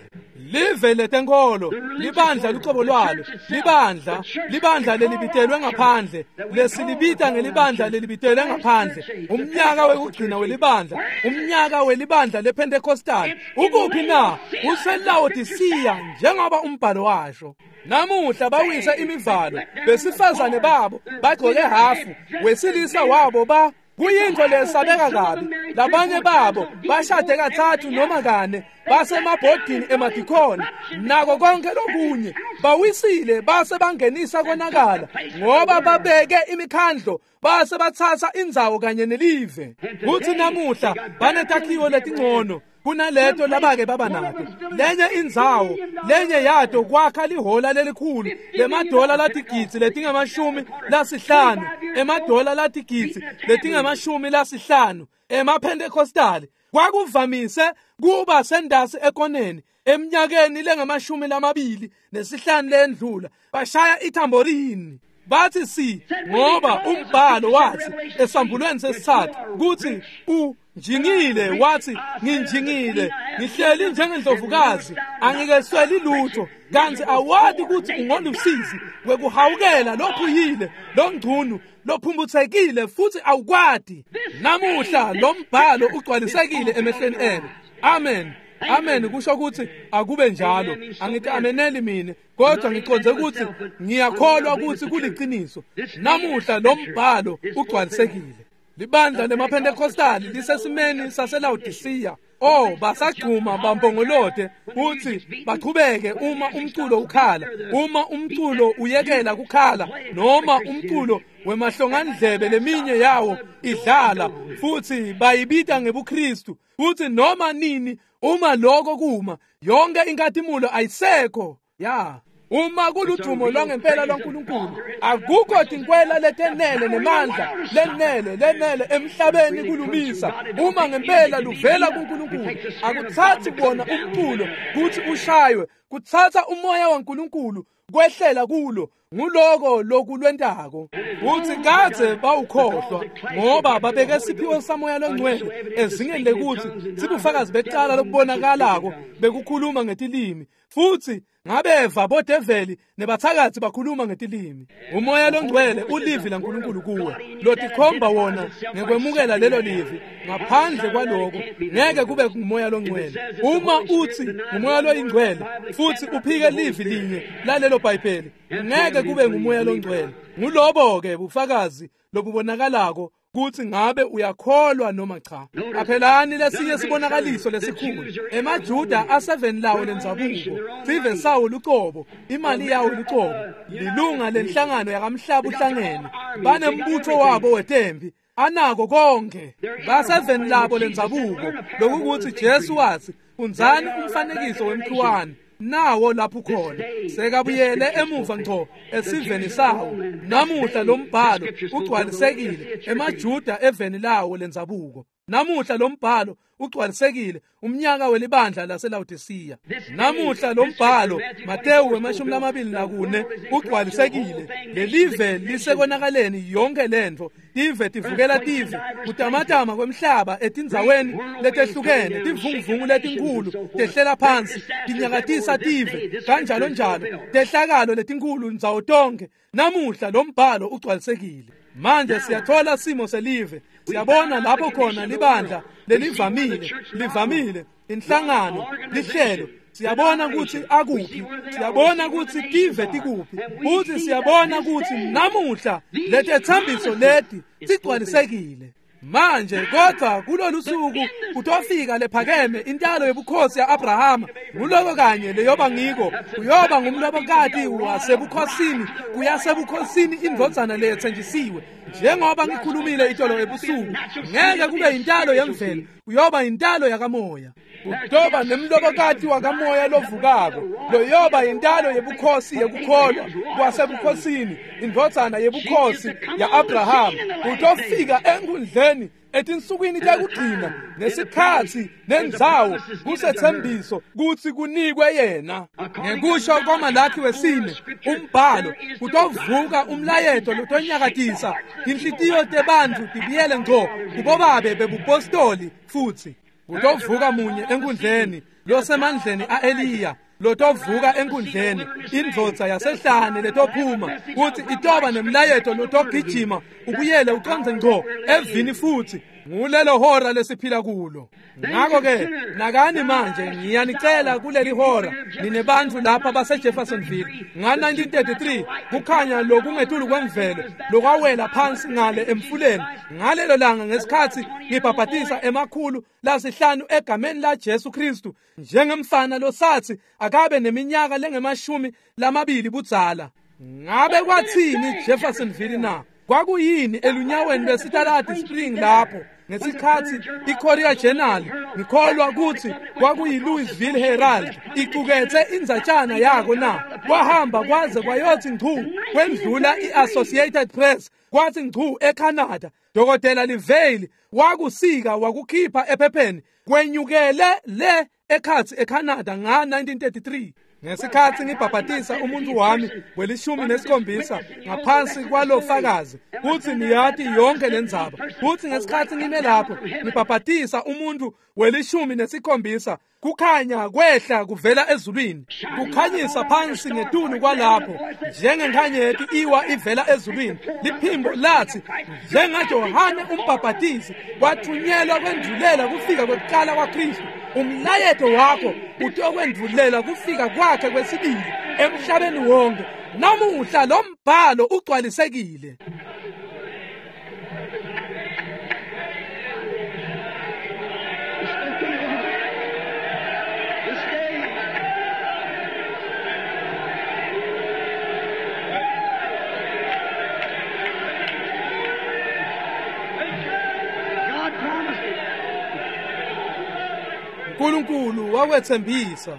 Live letenkolo, libandla lucobo lwalo, libandla, libandla lelibitelwe ngaphandle, lesilibita ngelibandla lelibitelwe ngaphandle, umnyaka wekugcina welibandla, umnyaka welibandla lePentecostal. Ukuphi na? UseLaodicea njengoba umbhalo washo. Namuhla bawisa imivalo, besifazane babo bagcoke hafu, wesilisa wabo ba kuyintfo lesabeka kabi. Labanye babo bashade kathathu noma kane, basemabhodini emadikhoni nako konke lokunye. Bawisile base bangenisa konakala ngoba babeke imikhandlo, base batsatsa indzawo kanye nelive. Kutsi namuhla banetakhiwo letingcono kunaleto labake baba nato. Lenye indzawo, lenye yato kwakha lihola lelikhulu lemadola latigidzi letingamashumi lasihlanu, emadola latigidzi letingamashumi lasihlanu emaPentecostali. Kwakuvamise kuba sendasi ekoneni eminyakeni lengamashumi lamabili nesihlanu lendlula. Bashaya ithamborini bathi si, ngoba umbhalo wathi esambulweni sesithathu kuthi u njingile, wathi nginjingile, ngihleli njengendlovukazi, angikesweli lutho, kanti awadi ukuthi ungolusizi wekuhawukela lophuyile longcunu lophumbuthekile futhi awukwadi. Namuhla lo mbhalo ugcwalisekile emehlweni enu. Amen. Amen kusho ukuthi akube njalo. Angithi ameneli mina, kodwa ngiconze ukuthi ngiyakholwa ukuthi kuliqiniso. Namuhla lo mbhalo ugcwalisekile. Libandla lemaPentecostali lisesimeni saseLaodicea. Oh, basagcuma bampongolote kuthi bachubeke uma umculo ukhala, uma umculo uyekela kukhala, noma umculo wemahlongandlebe leminye yawo idlala, futhi bayibita ngebuKristu. Futhi noma nini uma lokho kuma, yonke inkathimulo ayisekho. Ya. Uma kuludumo lwangempela lwaNkulunkulu, akukho tinkwela letenele nemandla lenele lenele emhlabeni kulumisa. Uma ngempela luvela kuNkulunkulu, akuthathi bona umculo kuthi ushaywe, kuthatha umoya waNkulunkulu kwehlela kulo. Nguloko lokulwentako. Uthi kadze bawukhohlwa ngoba babeke siphiwo samoya longcwele ezingeni lekuthi sibufakazi becala lokubonakalako bekukhuluma ngetilimi, futhi ngabeva bodeveli nebathakathi bakhuluma ngetilimi. Umoya longcwele ulivi laNkulunkulu kuwe, lotikhomba wona ngekwemukela lelo livi. Ngaphandle kwaloko ngeke kube ngumoya longcwele. Uma uthi ngumoya loyingcwele futhi uphike livi linye lalelo Bhayibheli, ngeke kube ngumoya longcwele. Ngulobo ke bufakazi lobubonakalako kuthi ngabe uyakholwa noma cha. Qaphelani lesinye sibonakaliso lesikhulu. EmaJuda aseveni lawo lendzabuko, sive sawo lucobo, imali yawo lucobo, lilunga lenhlangano yakamhlaba uhlangene, banembutho wabo wetempi. Anako konke. Baseveni labo lendzabuko lokukuthi Jesu wathi fundzani umfanekiso wemkhiwane nawo lapho khona sekabuyele emuva ngco esiveni sawo. Namuhla lombhalo ugcwalisekile emaJuda eveni lawo lendzabuko. Namuhla lombhalo ugcwalisekile umnyaka welibandla laseLaodicea. Namuhla lombhalo Mateyu wemashumi lamabili nakune ugcwalisekile. Lelive lisekonakaleni yonke lentfo, tive tivukela tive, kutamatama kwemhlaba etindzaweni letehlukene, tivunguvungu letinkhulu tehlela phansi, tinyakatisa tive kanjalo njalo, tehlakalo letinkhulu ndzawo tonke. Namuhla lombhalo ugcwalisekile. Manje siyathola simo selive, siyabona lapho khona libandla lelivamile, livamile, inhlangano, lihlelo. Siyabona ukuthi akuphi, siyabona ukuthi tive tikuphi, futhi siyabona ukuthi namuhla letetsembiso leti tigcwalisekile. Manje kodwa kulolu suku kutofika lephakeme intalo yobukhosi ya-Abrahama. Nguloko kanye leyoba ngiko, uyoba ngumlobokati wasebukhosini, kuyasebukhosini indvodzana leyetsenjisiwe. Njengoba ngikhulumile itolo ebusuku, ngeke kube intalo yemvelo, uyoba intalo yakamoya. Kutoba nemlobokati wakamoya lovukako, loyoba intalo yebukhosi yekukholwa kwasebukhosini, indvodzana yebukhosi ya-Abrahama. Utofika enkundleni etinsukwini tekugcina nesikhatsi nendzawo kusethembiso kutsi kunikwe yena. Ngekusho kwaMalakhi wesine umbhalo kutovuka umlayeto lotonyakatisa tinhlitiyo tebantfu tibuyele ngco kubobabe bebupostoli. Futsi kutovuka munye enkundleni losemandleni a-Eliya, lotovuka enkundleni indvodza yasehlane letophuma kuthi itoba nemlayeto lotogijima ubuyele ucondze ngco evini. Futhi ngulelo hora lesiphila kulo. Ngakho-ke nakani manje ngiyanicela kuleli hora ninebantfu lapha base-Jeffersonville nga nineteen thirty-three kukhanya lokungetulu kwemvelo lokwawela phansi ngale emfuleni. Ngalelo langa ngesikhatsi ngibhabhatisa emakhulu lasihlanu egameni la Jesu Kristu njengemfana losathi akabe neminyaka lengemashumi lamabili budzala. Ngabe kwathini Jeffersonville na? Kwakuyini elunyaweni lwesitaladi Spring lapho ngesikhatsi iCourier Journal, ngikholwa kutsi kwakuyi-Louisville Herald, icuketse indzatshana yako na? Kwahamba kwaze kwayothi ngcu kwendlula i-Associated Press, kwathi ngcu eCanada. Dokotela Livale wakusika wakukhipha ephepheni, kwenyukele le ekhatsi eCanada nga nineteen thirty-three. Ngesikhatsi ngibhabhatisa umuntu wami welishumi nesikhombisa ngaphansi kwalofakazi kutsi niyati yonke lendzaba, kutsi ngesikhatsi ngime lapho ngibhabhatisa umuntu welishumi nesikhombisa, kukhanya kwehla kuvela ezulwini, kukhanyisa phansi ngetulu kwalapho njengenkhanyeti iwa ivela ezulwini. Liphimbo lathi njengaJohane umbhabhatisi wathunyelwa kwendvulela kufika kwekuqala kwaKristu, umlayeto wakho utokwendvulela kufika kwakhe kwesibili emhlabeni wonke. Namuhla lo mbhalo ugcwalisekile. uNkulunkulu wakwethembisa.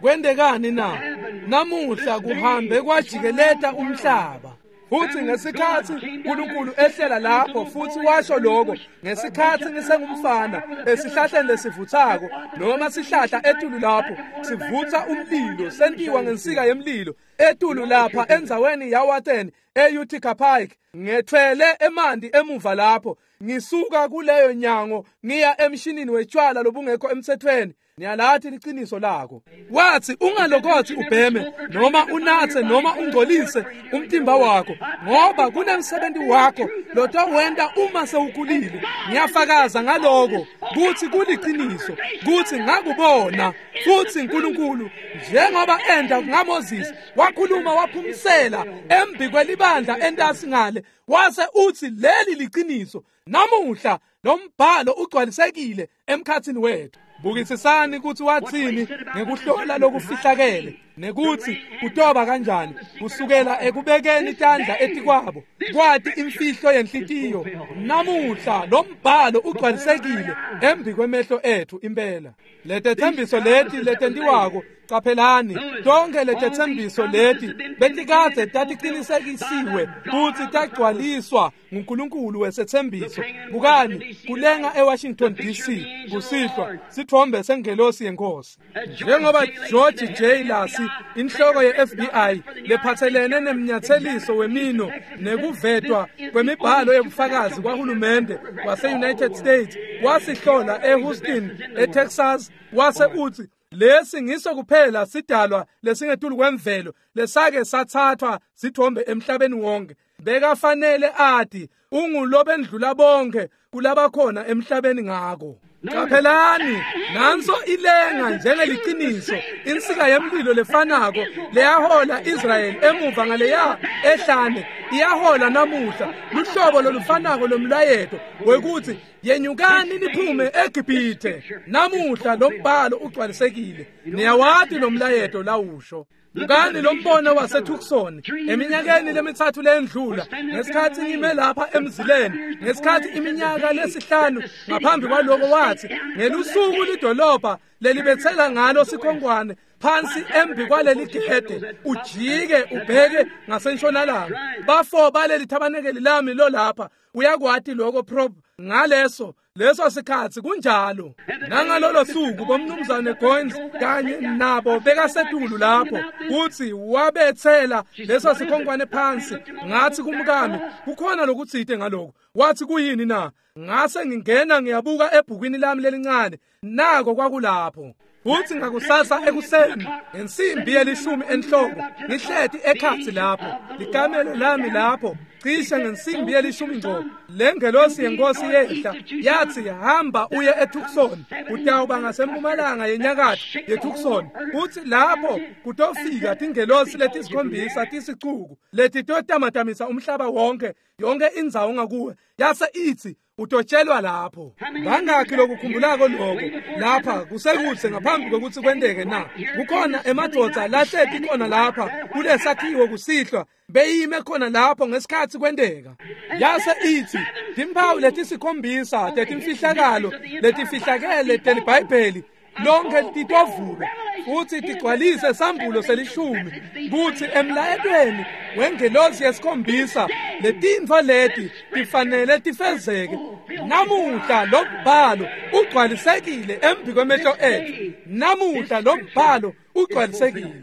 Kwendekani na? Namuhla kuhambe kwajikeleta umhlaba. Futhi ngesikhatsi uNkulunkulu ehlela lapho futhi washo lokho, ngesikhatsi ngisengumfana esihlahleni lesivuthako noma sihlahla etulu lapho sivutha umlilo, sentiwa ngensika yemlilo etulu lapha endzaweni yaWaten e-Utica Pike, ngethwele emanti emuva lapho ngisuka kuleyo nyango ngiya emshinini wetshwala lobungekho emthethweni. Niyalathi liqiniso lako. Wathi ungalokothi ubheme noma unathe noma ungcolise umtimba wakho, ngoba kunemsebenzi wakho lotowenta uma sewukhulile. Ngiyafakaza ngaloko kuthi kuliqiniso, kuthi ngakubona. Futhi uNkulunkulu njengoba enda ngaMoses wakhuluma waphumsela embi kwelibandla entasi ngale, wase uthi leli liqiniso. Namuhla lo mbhalo ugcwalisekile emkhathini wethu. Bukisisani kutsi watsini ngekuhlola lokufihlakele nekutsi kutoba kanjani kusukela ekubekeni tandla etikwabo kwati imfihlo yenhlitiyo. Namuhla lo mbhalo ugcwalisekile embi kwemehlo ethu impela. Letethembiso leti letentiwako, qaphelani, tonke letethembiso leti betikadze tatiqinisekisiwe futsi tagcwaliswa nguNkulunkulu wesethembiso. Bukani kulenga eWashington D C kusihlwa sithombe sengelosi yenkosi. Njengoba George J. Lacy, inhloko ye-F B I lephatselene nemnyatseliso wemino nekuvetwa kwemibhalo yebufakazi kwahulumende wase-United States, wasihlola eHouston, eTexas, wase utsi lesi ngiso kuphela sidalwa lesingetulu kwemvelo lesake sathathwa sithombe emhlabeni wonke. Bekafanele ati ungulobendlula bonke kulabakhona emhlabeni ngako. Qaphelani, nanso ilenga njengeliciniso, insika yemlilo lefanako leyahola Israyeli emuva ngaleya ehlane iyahola namuhla luhlobo lolufanako lomlayeto wekuthi yenyukani niphume eGibhithe. Namuhla lo mbhalo ugcwalisekile. Niyawati lo mlayeto lawusho. Bukani lo mbono waseTucson eminyakeni lemitsatfu lendlula, ngesikhatsi ngime lapha emzileni, ngesikhatsi iminyaka lesihlanu ngaphambi kwaloko, wathi ngelusuku lidolobha lelibetsela ngalo sikhonkwane phansi embi kwaleli gede, ujike ubheke ngasentshonalanga. Bafo baleli thabanekeli lami lo lapha uyakwati lokho prop ngaleso leso sikhatsi kunjalo. Nangalolo suku bomnumzane Goins kanye nabo bekasetulu lapho kutsi wabetsela leso sikhonkwane phansi. Ngathi kumkami kukhona lokutsite ngaloko. Wathi kuyini na? Ngase ngingena ngiyabuka ebhukwini lami lelincane, nako kwakulapho. Futhi ngakusasa ekuseni ngensimbi yelishumi enhloko ngihleti ekhatsi lapho likamelo lami lapho cishe ngensimbi yelishumi ngco, lengelosi yenkosi yehla yathi hamba uye eTucson, utawuba ngasempumalanga yenyakatfo yeTucson. Uthi lapho kutofika tingelosi letisikhombisa tisicuku letitotamatamisa umhlaba wonke, yonke indzawo ngakuwe. Yase ithi utotshelwa lapho. Bangakhi lokukhumbulako lokho lapha kusekudze ngaphambi kokuthi kwenteke na? Kukhona emadvodza lahleti khona lapha kulesakhiwo kusihlwa, beyime khona lapho ngesikhatsi kwenteka. Yase ithi timphawu letisikhombisa tetimfihlakalo letifihlakele teliBhayibheli lonke titovulwa futhi tigcwalise sambulo selishumi, kutsi emlayetweni wengelosi yesikhombisa letintfo leti tifanele tifezeke. Namuhla lo mbhalo ugcwalisekile embi kwemehlo ethu. Namuhla lo mbhalo ugcwalisekile.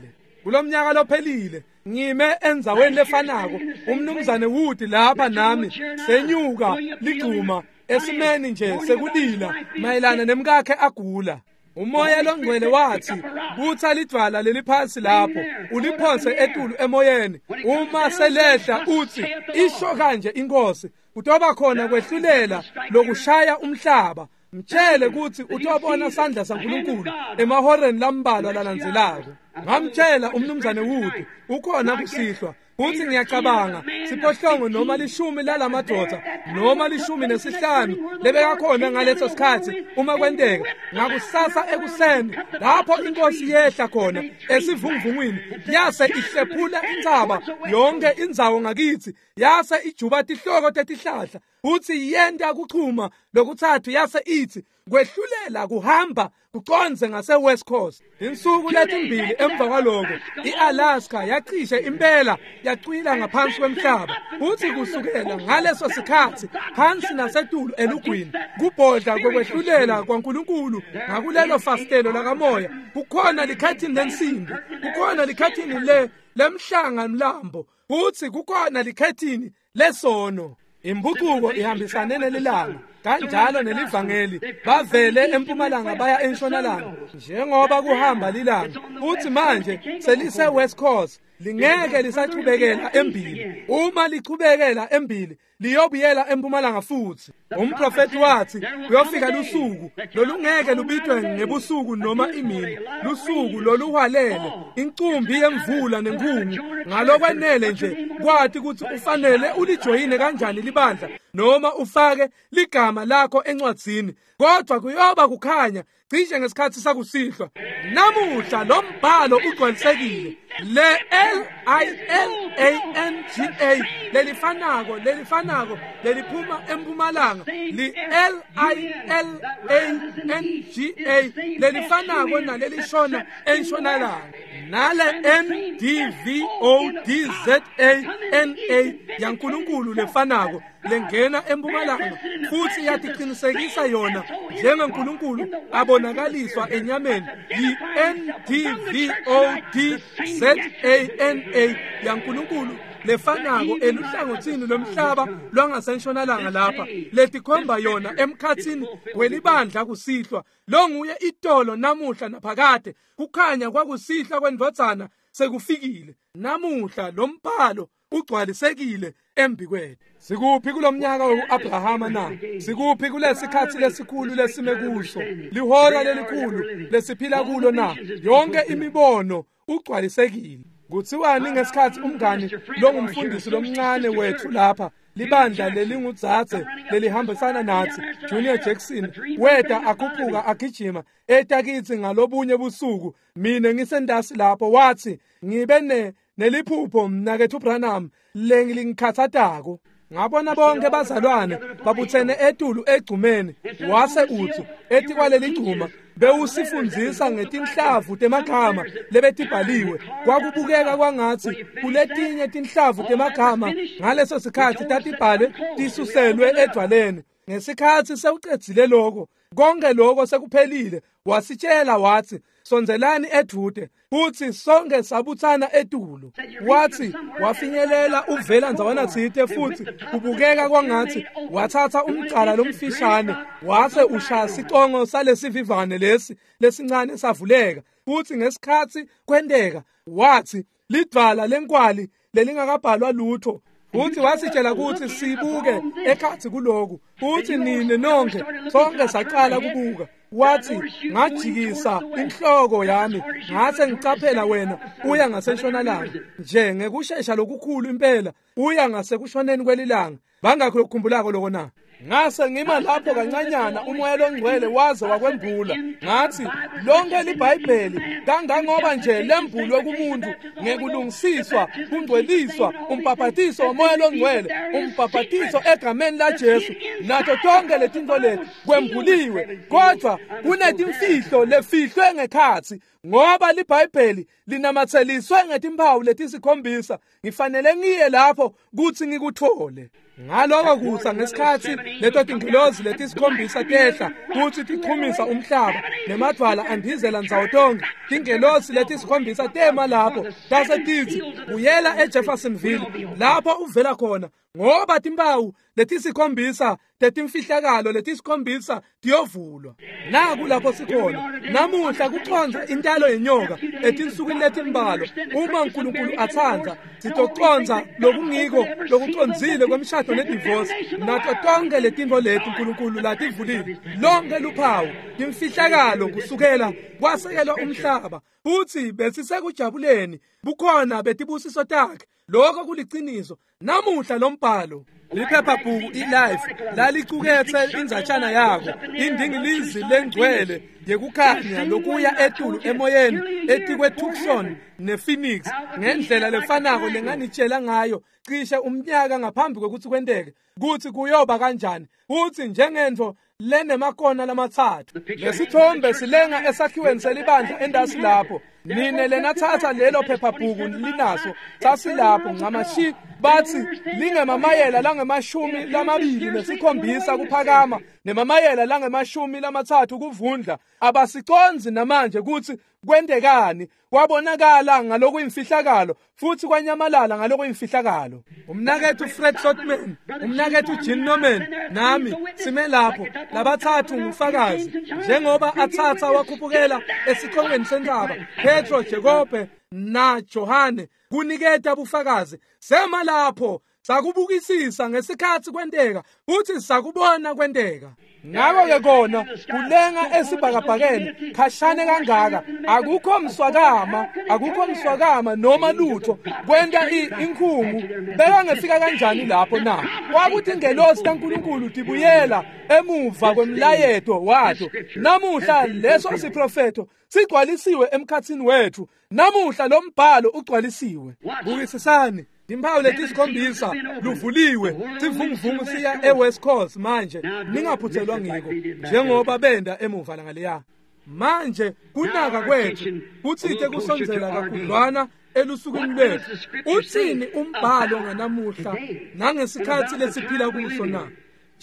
Kulomnyaka lophelile ngime endzaweni lefanako, umnumzane Wood lapha nami senyuka ligcuma esimeni nje sekulila mayelana nemkakhe agula. Umoya longcwele wathi butha lidvwala leliphasi lapho uliphonse etulu emoyeni, uma selehla uthi isho kanje inkosi, kutoba khona kwehlulela lokushaya umhlaba. Mtshele kutsi utobona sandla saNkulunkulu emahoreni lambalwa lalandzelako. Ngamtshela umnumzane Wood ukhona kusihlwa Uthi ngiyacabanga siphohlongo noma lishumi lalamadvodza noma lishumi nesihlanu lebekakhona ngaleso sikhatsi uma kwenteka ngakusasa ekuseni lapho inkosi yehla khona esivunguvungwini yase ihlephula intsaba yonke indzawo ngakithi yase ijuba tihloko tetihlahla uthi yenta kuchuma lokuthathu yase ithi kwehlulela kuhamba kuconze ngase West Coast. Insuku letimbili emva kwaloko iAlaska yacishe impela yacwila ngaphansi kwemhlaba. Uthi kusukela ngaleso sikhatsi phansi nasetulu elugwini kubhodla kokwehlulela kwaNkulunkulu ngakulelo fastelo lakamoya kukhona likhathini lensimbi, kukhona likhathini le lemhlanga mlambo, uthi kukhona likhathini lesono. Impucuko ihambisane nelilanga kanjalo nelivangeli bavele empumalanga baya entshonalanga njengoba kuhamba lilanga. Uthi manje selise West Coast lingeke lisachubekela embili. Uma lichubekela embili liyobuyela empumalanga futhi. Umprofeti wathi kuyofika lusuku lolungeke lubitwe ngebusuku noma imini, lusuku loluhwalele incumbi yemvula nenkhungu. Ngalokwenele nje kwathi ukuthi ufanele ulijoyine kanjani libandla noma ufake ligama lakho encwadzini, kodwa kuyoba kukhanya cishe ngesikhathi sakusihlwa. Namuhla lo mbhalo ugcwalisekile. Le L I L A N G A lelifanako lelifanako leliphuma empumalanga, li L I L A N G A lelifanako nalelishona entshonalanga, nale N D V O D Z A N A yaNkulunkulu lefanako lengena empumalanga futhi yatiqinisekisa yona njengeNkulunkulu abonakaliswa enyameni, yi N D V O D Z A N A yaNkulunkulu lefanako eluhlangothini lomhlaba lwangasentshonalanga lapha letikhomba yona emkhatsini welibandla kusihlwa. Lo nguye itolo, namuhla naphakade. Kukhanya kwakusihlwa kwendvodzana sekufikile. Namuhla lo mbhalo ugcwalisekile embikwethu. Sikuphi kulomnyaka weAbrahama na? Sikuphi kulesikhathi lesikhulu lesime kuso, lihora lelikhulu lesiphila kulo na? Yonke imibono ugcwalisekile. Kuthiwani ngesikhathi umngani longumfundisi lomncane wethu lapha, libandla lelingudzadze lelihambisana nathi, Junior Jackson, weta akhuphuka agijima eta kitsi ngalobunye busuku, mina ngisendasi lapho, wathi ngibe ne neliphupho mnakethu Branham lengilingikhathatako. Ngabona bonke bazalwane babuthene etulu egcumeni, wase utsi etikwaleli gcuma bewusifundzisa ngetinhlavu temagama lebetibhaliwe. Kwakubukeka kwangatsi kuletinye tinhlavu temagama ngaleso sikhathi tatibhalwe tisuselwe edvwaleni. Ngesikhathi sewucedzile lokho, konke lokho sekuphelile, wasitshela wathi sondzelani edvute, futhi sonke sabuthana etulu. Wathi wafinyelela uvela ndzawana tsite, futhi kubukeka kwangathi wathatha umcala lomfishane wase ushaya sicongo salesivivane lesi lesincane savuleka. Futhi ngesikhathi kwenteka wathi lidvwala lenkwali lelingakabhalwa lutho. Futhi wasitshela ukuthi sibuke ekhathi kuloku, futhi nine nonke sonke saqala kubuka. Wathi ngajikisa inhloko yami ngase ngicaphela wena uya ngasentshonalanga nje ngekushesha lokukhulu impela, uya ngasekushoneni kwelilanga. Bangakho lokukhumbulako lokho na? Ngase ngima lapho kancanyana, umoya longcwele waze wakwembula. Ngathi lonke liBhayibheli kangangoba nje lembulwe kumuntu ngekulungisiswa, kungcweliswa, umbhaphatiso womoya longcwele, umbhaphatiso egameni laJesu, nato tonke letinto leti kwembuliwe, kodwa kunetimfihlo lefihlwe ngekhatsi, ngoba liBhayibheli linamatheliswe ngetimpawu letisikhombisa. Ngifanele ngiye lapho kuthi ngikuthole. Ngaloko kusa ngesikhathi leto tingilozi letisikhombisa tehla kuthi tichumisa umhlaba nemadvwala andizela ndzawo tonke, tingelosi letisikhombisa tema lapho tase titsi buyela eJeffersonville lapho uvela khona, ngoba timpawu letisikhombisa tetimfihlakalo letisikhombisa tiyovulwa. Naku lapho sikhona namuhla kuconza intalo yenyoka etinsukwini letimbalwa. Uma uNkulunkulu atsandza sitoconza lokungiko lokucondzile kwemshado nedivorce nato tonke letinto leti uNkulunkulu lativulile, lonke luphawu timfihlakalo kusukela kwasekelwa umhlaba. Futhi besisekujabuleni bukhona betibusiso takhe. Lokho kuliciniso. Namuhla lombhalo liphephabhuku iLife lalicukethe indzatshana yako, indingilizi lengcwele yekukhanya lokuya etulu emoyeni etikwe Tucson nePhoenix ngendlela lefanako lenganitshela ngayo cishe umnyaka ngaphambi kwekutsi kwenteke kutsi kuyoba kanjani, futsi njengentfo lenemakona lamatsatfu. Lesithombe silenga esakhiweni selibandla endasi lapho. Nine lenathatha lelo phephabhuku linaso sasilapho ncamashi, bathi lingemamayela langemashumi lamabili nesikhombisa kuphakama nemamayela langemashumi lamatsatfu kuvundla. Abasiconzi namanje kutsi kwentekani. Kwabonakala ngalokuyimfihlakalo futhi kwanyamalala ngalokuyimfihlakalo. Umnakethu Fred Sotman, umnakethu Jean Norman nami sime lapho labathathu ngufakazi njengoba athatha wakhuphukela esiqongweni sentsaba Petro, Jakobe na Johane kuniketa bufakazi. Sema lapho Sakubukisisa ngesikhatsi kwenteka futhi sakubona kwenteka. Ngakho-ke kona kulenga esibhakabhakeni khashane kangaka, akukho mswakama, akukho mswakama noma lutho kwenta inkhungu. Bekangefika kanjani lapho na? Kwakuthi ingelosi kaNkulunkulu tibuyela emuva kwemlayeto wato. Namuhla leso siprofetho sigcwalisiwe emkhatsini wethu. Namuhla lo mbhalo ugcwalisiwe. Bukisisani timphawu letisikhombisa luvuliwe, sivunguvungu siya eWest Coast manje, ningaphuthelwa ngiko njengoba benda emuva langaleya. Manje kunaka kwethu kutsite kusondzela kakhudlwana elusukwini lwethu. Utsini umbhalo nganamuhla nangesikhatsi lesiphila kuso na?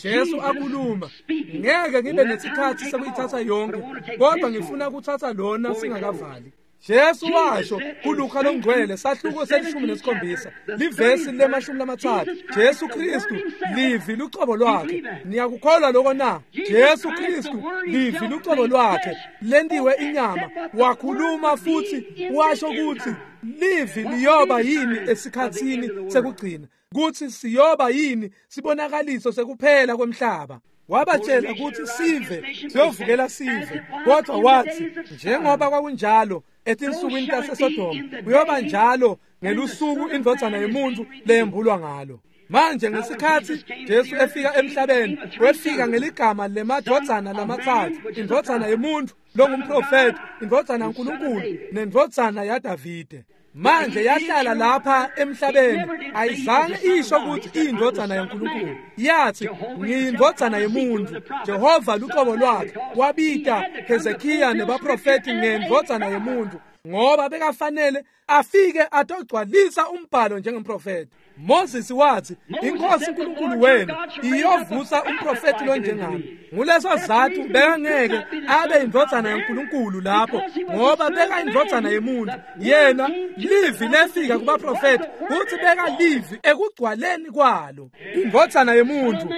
Jesu akhuluma, ngeke ngibe nesikhatsi sekuyithatha yonke, kodwa ngifuna kuthatha lona singakavali. Jesu washo kuLuka longcwele sahluko selishumi nesikhombisa livesi lemashumi lamatsatfu. Jesu Kristu livi lucobo lwakhe. Niyakukholwa lokho na? Jesu Kristu livi lucobo lwakhe lentiwe inyama, wakhuluma futhi washo kutsi livi liyoba yini esikhatsini sekugcina, kutsi siyoba yini sibonakaliso sekuphela kwemhlaba. Wabatshela kutsi sive siyovukela sive, kodwa wathi njengoba kwakunjalo etinsukwini taseSodoma kuyoba njalo ngelusuku indvodzana yemuntu leyembulwa ngalo. Manje ngesikhatsi Jesu efika emhlabeni, wefika ngeligama lemadvodzana lamatsatfu, indvodzana yemuntu longumprofeti, indvodzana yaNkulunkulu nendvodzana yaDavide. Manje yahlala lapha emhlabeni, ayizange isho kutsi iyindvodzana yaNkulunkulu. Yathi ngiyindvodzana yemuntu. Jehova lucobo lwakhe wabita Hezekiya nebaprofeti ngendvodzana yemuntu, ngoba bekafanele afike atogcwalisa umbhalo njengemprofeti. Moses wathi inkosi uNkulunkulu wenu iyovusa umprofeti lonjengami. Nguleso sizatfu bekangeke abe indvodzana yaNkulunkulu lapho, ngoba beka indvodzana yemuntu. Yena livi lefika kubaprofeti kutsi beka livi ekugcwaleni kwalo. Indvodzana yemuntu,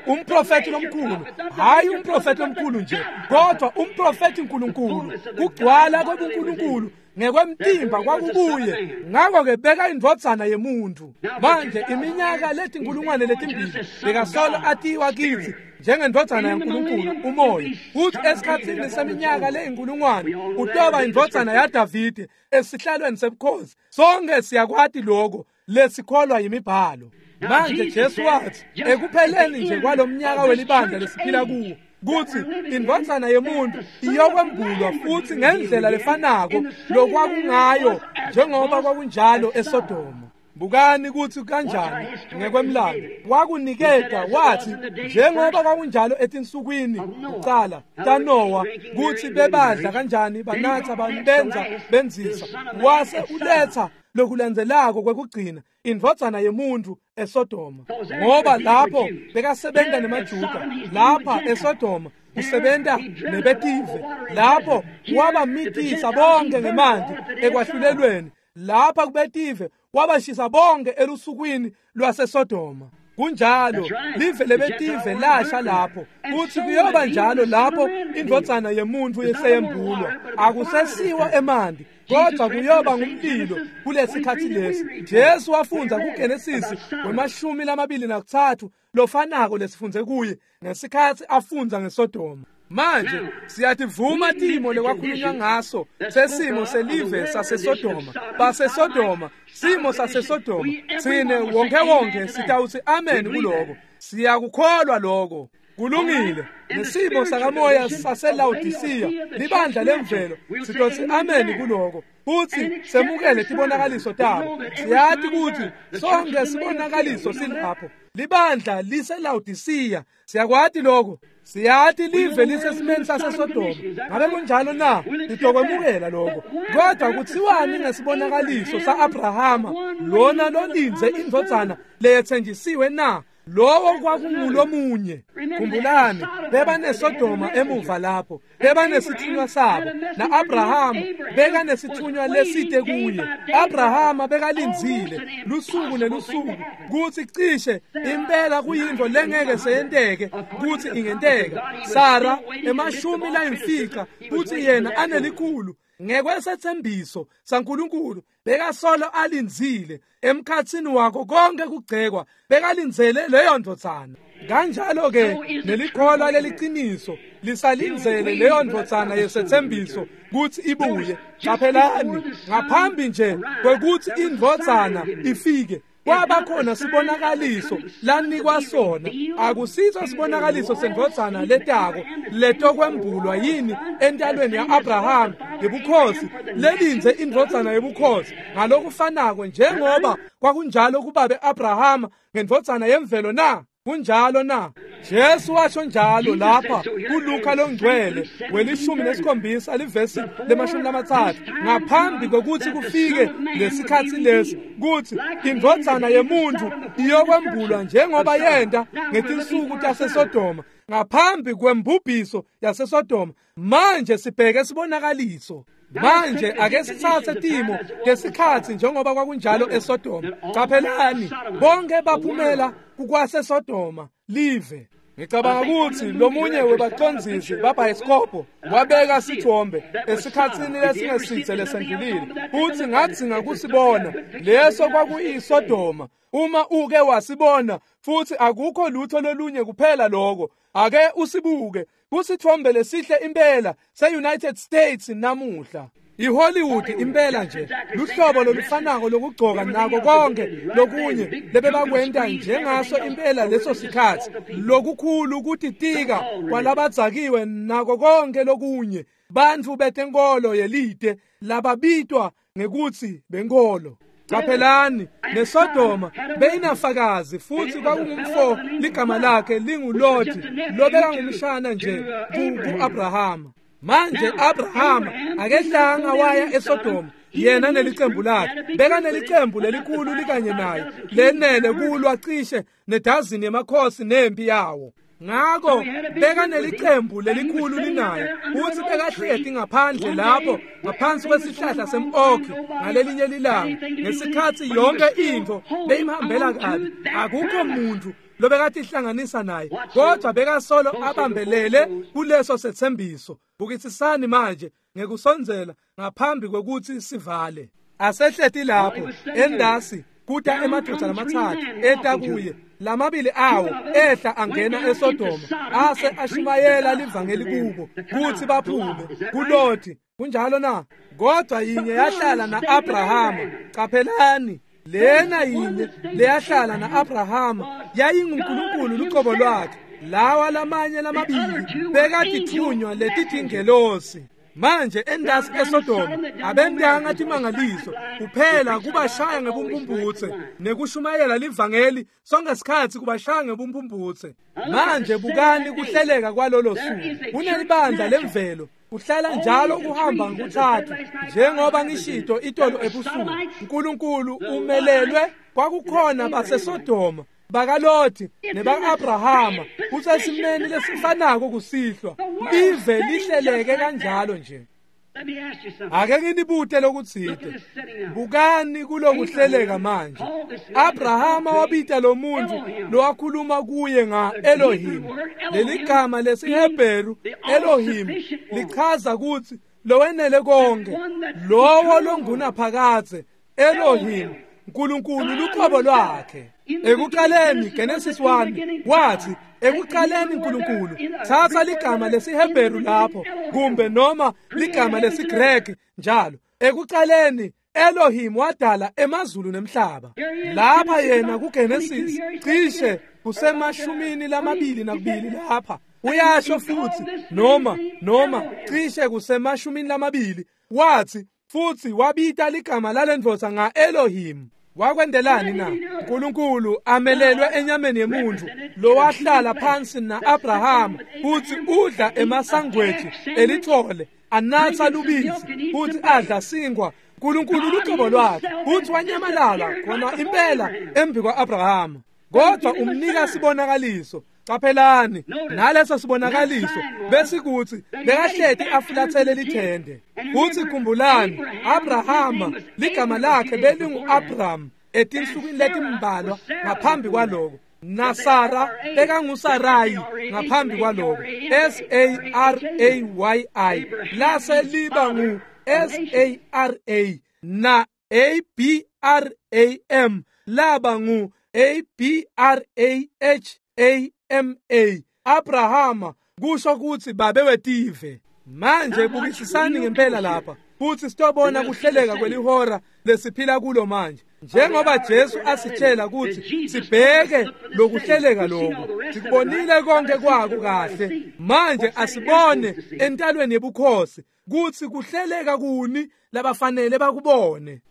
umprofeti lomkhulu, hayi umprofeti lomkhulu nje, kodwa umprofeti uNkulunkulu, kugcwala kwebuNkulunkulu ngekwemtimba kwakubuye. Ngakho-ke beka indvodzana yemuntu. Manje iminyaka letinkulungwane letimbili bekasolo atiwa kitsi njengendvodzana yaNkulunkulu umoya, futhi esikhatsini seminyaka leyinkulungwane utoba indvodzana yaDavide esihlalweni sebukhosi. Sonke siyakwati lokho lesikholwa yimibhalo. Manje Jesu wathi ekupheleni nje kwalomnyaka welibandla lesiphila kuwo kutsi indvodzana yemuntu iyokwembulwa futhi ngendlela lefanako lokwakungayo njengoba kwakunjalo eSodoma. Bukani kutsi kanjani ngekwemlando wakuniketa, wathi njengoba kwakunjalo etinsukwini kucala taNowa, kutsi bebadla kanjani, banatsa, benza, benzisa, wase uletha lokulandzelako kwekugcina indvodzana yemuntu eSodoma. Ngoba lapho bekasebenta nemaJuda, lapha eSodoma usebenta nebetive. Lapho wabamitisa bonke ngemanti ekwahlulelweni, lapha kubetive wabashisa bonke elusukwini lwaseSodoma. Kunjalo live lebetive lasha lapho, kutsi kuyoba njalo lapho indvodzana yemuntu yeseyembulwa. Akusesiwa emanti, kodwa kuyoba ngumlilo kulesikhatsi lesi. Jesu wafundza kuGenesisi wemashumi lamabili nakutsatfu lofanako lesifundze kuye ngesikhatsi afundza ngeSodoma. Manje siyativuma timo lekwakhulunywa ngaso sesimo selive saseSodoma, baseSodoma, simo saseSodoma. Tsine wonke wonke sitawutsi amen kuloko, siyakukholwa lokho. Kulungile. Nesimo sakamoya saseLaodisiya, libandla lemvelo, sitotsi amen kuloko futsi semukele tibonakaliso tabo. Siyati kutsi sonke sibonakaliso silapho. Libandla liseLaodisiya, siyakwati lokho. Siyati live lisesimeni saseSodoma. Ngabe kunjalo na? Sitokwemukela lokho. Kodwa kutsiwani ngesibonakaliso sa-Abrahama lona lolindze indvodzana leyetsenjisiwe na? Lowo kwakungulomunye. Khumbulani, bebaneSodoma emuva lapho, bebanesithunywa sabo, na-Abrahama bekanesithunywa lesite kuye. Abrahama bekalindzile lusuku nelusuku kutsi cishe impela kuyintfo lengeke seyenteke kutsi ingenteka. Sara emashumi layimfica kutsi yena anelikhulu. Ngekwesethembiso saNkulunkulu bekasolo alindzile emkhatsini wako konke kugcekwa, bekalindzele leyo ndvodzana. Kanjalo ke nelikholwa leliciniso lisalindzele leyo ndvodzana yesethembiso kutsi ibuye. Qaphelani, ngaphambi nje kwekutsi indvodzana ifike kwaba khona sibonakaliso lanikwa sona. Akusiso sibonakaliso sendvodzana letako letokwembulwa yini entalweni ya-Abraham yebukhosi lelindze indvodzana yebukhosi, ngalokufanako njengoba kwakunjalo kubabe Abraham ngendvodzana yemvelo na? Kunjalo na? Jesu washo njalo lapha kuLuka longcwele welishumi nesikhombisa livesi lemashumi lamatsatfu, ngaphambi kwekutsi kufike lesikhatsi lesi kutsi indvodzana yemuntfu iyokwembulwa njengoba yenta ngetinsuku taseSodoma, ngaphambi kwembubhiso yaseSodoma. Manje sibheke sibonakaliso. Manje ake sitsatse timo tesikhatsi njengoba kwakunjalo eSodoma. Qaphelani, bonke baphumela kukwaseSodoma live. Ngicabanga kutsi lomunye webacondzisi babhayisikobho wabeka sithombe esikhatsini lesingesitse lesendlulile, futsi ngadzinga kusibona leso kwakuyiSodoma. Uma uke wasibona, futsi akukho lutho lolunye kuphela lokho, ake usibuke kusithombe lesihle impela se-United States namuhla. IHollywood impela nje luhlobo lolufanako lokugcoka nako konke lokunye lebebakwenta njengaso impela leso sikhatsi, lokukhulu kutitika kwalabadzakiwe nako konke lokunye, bantfu betenkolo yelite lababitwa ngekutsi benkolo. Qaphelani, neSodoma beyinafakazi, futhi kwakungumfo ligama lakhe linguLoti lobekangumshana nje ku-Abrahama. Manje Abrahama akehlanga waya eSodoma yena nelicembu lakhe, bekanelicembu lelikhulu likanye naye lenele kulwa cishe nedazini yemakhosi nempi yawo. Ngako bekanelicembu lelikhulu linaye, futhi bekahleti ngaphandle lapho ngaphansi kwesihlahla sem-okhi ngalelinye lilanga, ngesikhatsi yonke intfo beyimhambela kabi, akukho muntu lobekatihlanganisa naye, kodwa bekasolo abambelele kuleso setsembiso. Bukisisani manje ngekusondzela ngaphambi kwekutsi sivale. Asehleti lapho endasi kuta emadvodza lamatsatfu eta kuye, lamabili awo ehla angena eSodoma ase ashumayela livangeli kubo kutsi baphume kuLoti. Kunjalo na? Kodwa yinye yahlala na-Abrahama. Qaphelani, lena yinye leyahlala na-Abrahama yayinguNkulunkulu luqobo lwakhe. Lawa lamanye lamabili bekatithunywa letitingelosi. Manje endasi eSodoma abentanga timangaliso kuphela kubashaya ngebumpumputse nekushumayela livangeli sonke sikhatsi kubashaya ngebumpumputse. Manje bukani kuhleleka kwalolo suku. Kunelibandla lemvelo kuhlala njalo kuhamba ngokuthathu, njengoba ngishito itolo ebusuku. uNkulunkulu umelelwe kwakukhona baseSodoma, bakaLoti neba-Abrahama, kusesimeni lesifanako kusihlwa. Live lihleleke kanjalo nje. Ake nginibute lokutsite. Bukani kulokuhleleka manje. Abrahama wabita lo muntu lowakhuluma kuye nga-Elohim. Leligama lesiHebheru Elohim lichaza kutsi lowenele konke, lowo longunaphakadze. Elohim, uNkulunkulu luqobo lwakhe. Ekuqaleni, Genesis one wathi ekuqaleni uNkulunkulu. Thatha ligama lesiHebheru lapho kumbe noma ligama lesiGreki njalo. Ekuqaleni Elohim wadala emazulu nemhlaba. Lapha yena kuGenesis cishe kusemashumini lamabili nakubili lapha uyasho futhi noma noma cishe kusemashumini lamabili wathi futhi wabita ligama lalendvodza nga-Elohim. Wakwendelani na? uNkulunkulu amelelwe enyameni yemuntu lowahlala phansi na-Abrahama futhi udla emasangweji elithole, anatha lubisi futhi adla sinkwa. uNkulunkulu luqobo lwakhe futhi wanyamalala khona impela embi kwa-Abrahama. Kodwa umnika sibonakaliso. Qaphelani, naleso sibonakaliso besikuthi bekahleti afulathele lithende. Futhi khumbulani, Abrahama ligama lakhe belingu-Abram etinsukwini letimbalwa ngaphambi kwaloko, naSara bekanguSarayi ngaphambi kwaloko, S A R A Y I, lase liba ngu S A R A na A B R A M laba ngu A B R A H A M A. Abrahama kusho kutsi babe wetive. Manje bukisisani ngempela lapha futhi sitobona kuhleleka kwelihora lesiphila kulo manje. Njengoba Jesu asitshela kutsi sibheke lokuhleleka lokhu, sikubonile konke kwako kahle. Manje asibone entalweni yebukhosi kutsi kuhleleka kuni labafanele bakubone.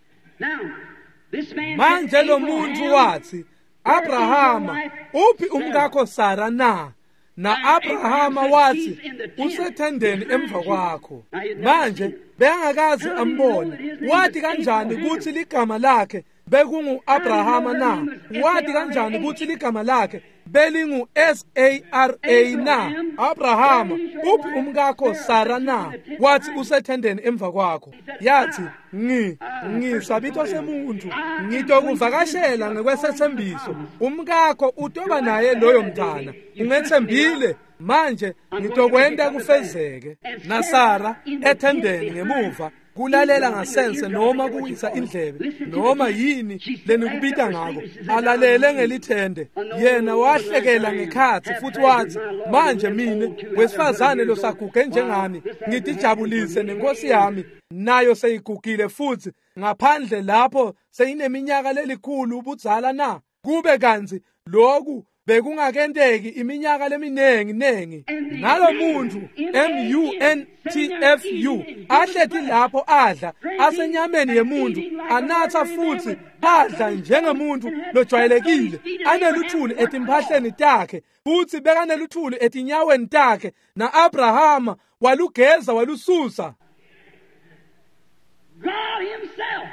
Manje lo muntu wathi, Abrahama, uphi umkakho Sara na? Na Abrahama wathi, usethendeni emva kwakho. Manje bengakazi ambone. Wathi kanjani kutsi ligama lakhe bekungu Abrahama na? Wathi kanjani kutsi ligama lakhe belingu S A R A na? Abrahama, uphi umkakho Sara na? Wathi usethendeni emva kwakho. Yathi, ngi ngisabitho semuntu, ngitokuvakashela ngekwesethembiso. Umkakho utoba naye loyo mntana. Ungethembile. Manje ngitokwenta kufezeke. Na Sara ethendeni ngemuva kulalela ngasense noma kuwisa indlebe noma yini lenikubita ngako, alalele ngelithende. Yena wahlekela ngekhathi futhi wathi, manje mine wesifazane losaguge njengami ngitijabulise nenkosi yami, nayo seyigugile futhi ngaphandle lapho seyineminyaka lelikhulu ubudzala na? Kube kantsi lokhu bekungakenteki iminyaka leminengi nengi. Nalo muntu M U N T F U ahleti lapho adla asenyameni yemuntu, anatha futhi adla njengemuntu lojwayelekile, aneluthuli etimphahleni takhe futhi bekaneluthuli etinyaweni takhe. Na Abrahama walugeza walususa. God himself,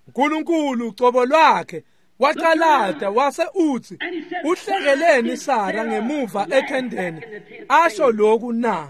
uNkulunkulu cobo lwakhe, waqalada wase uthi, uhlekeleni Sara ngemuva ethendeni asho lokhu na?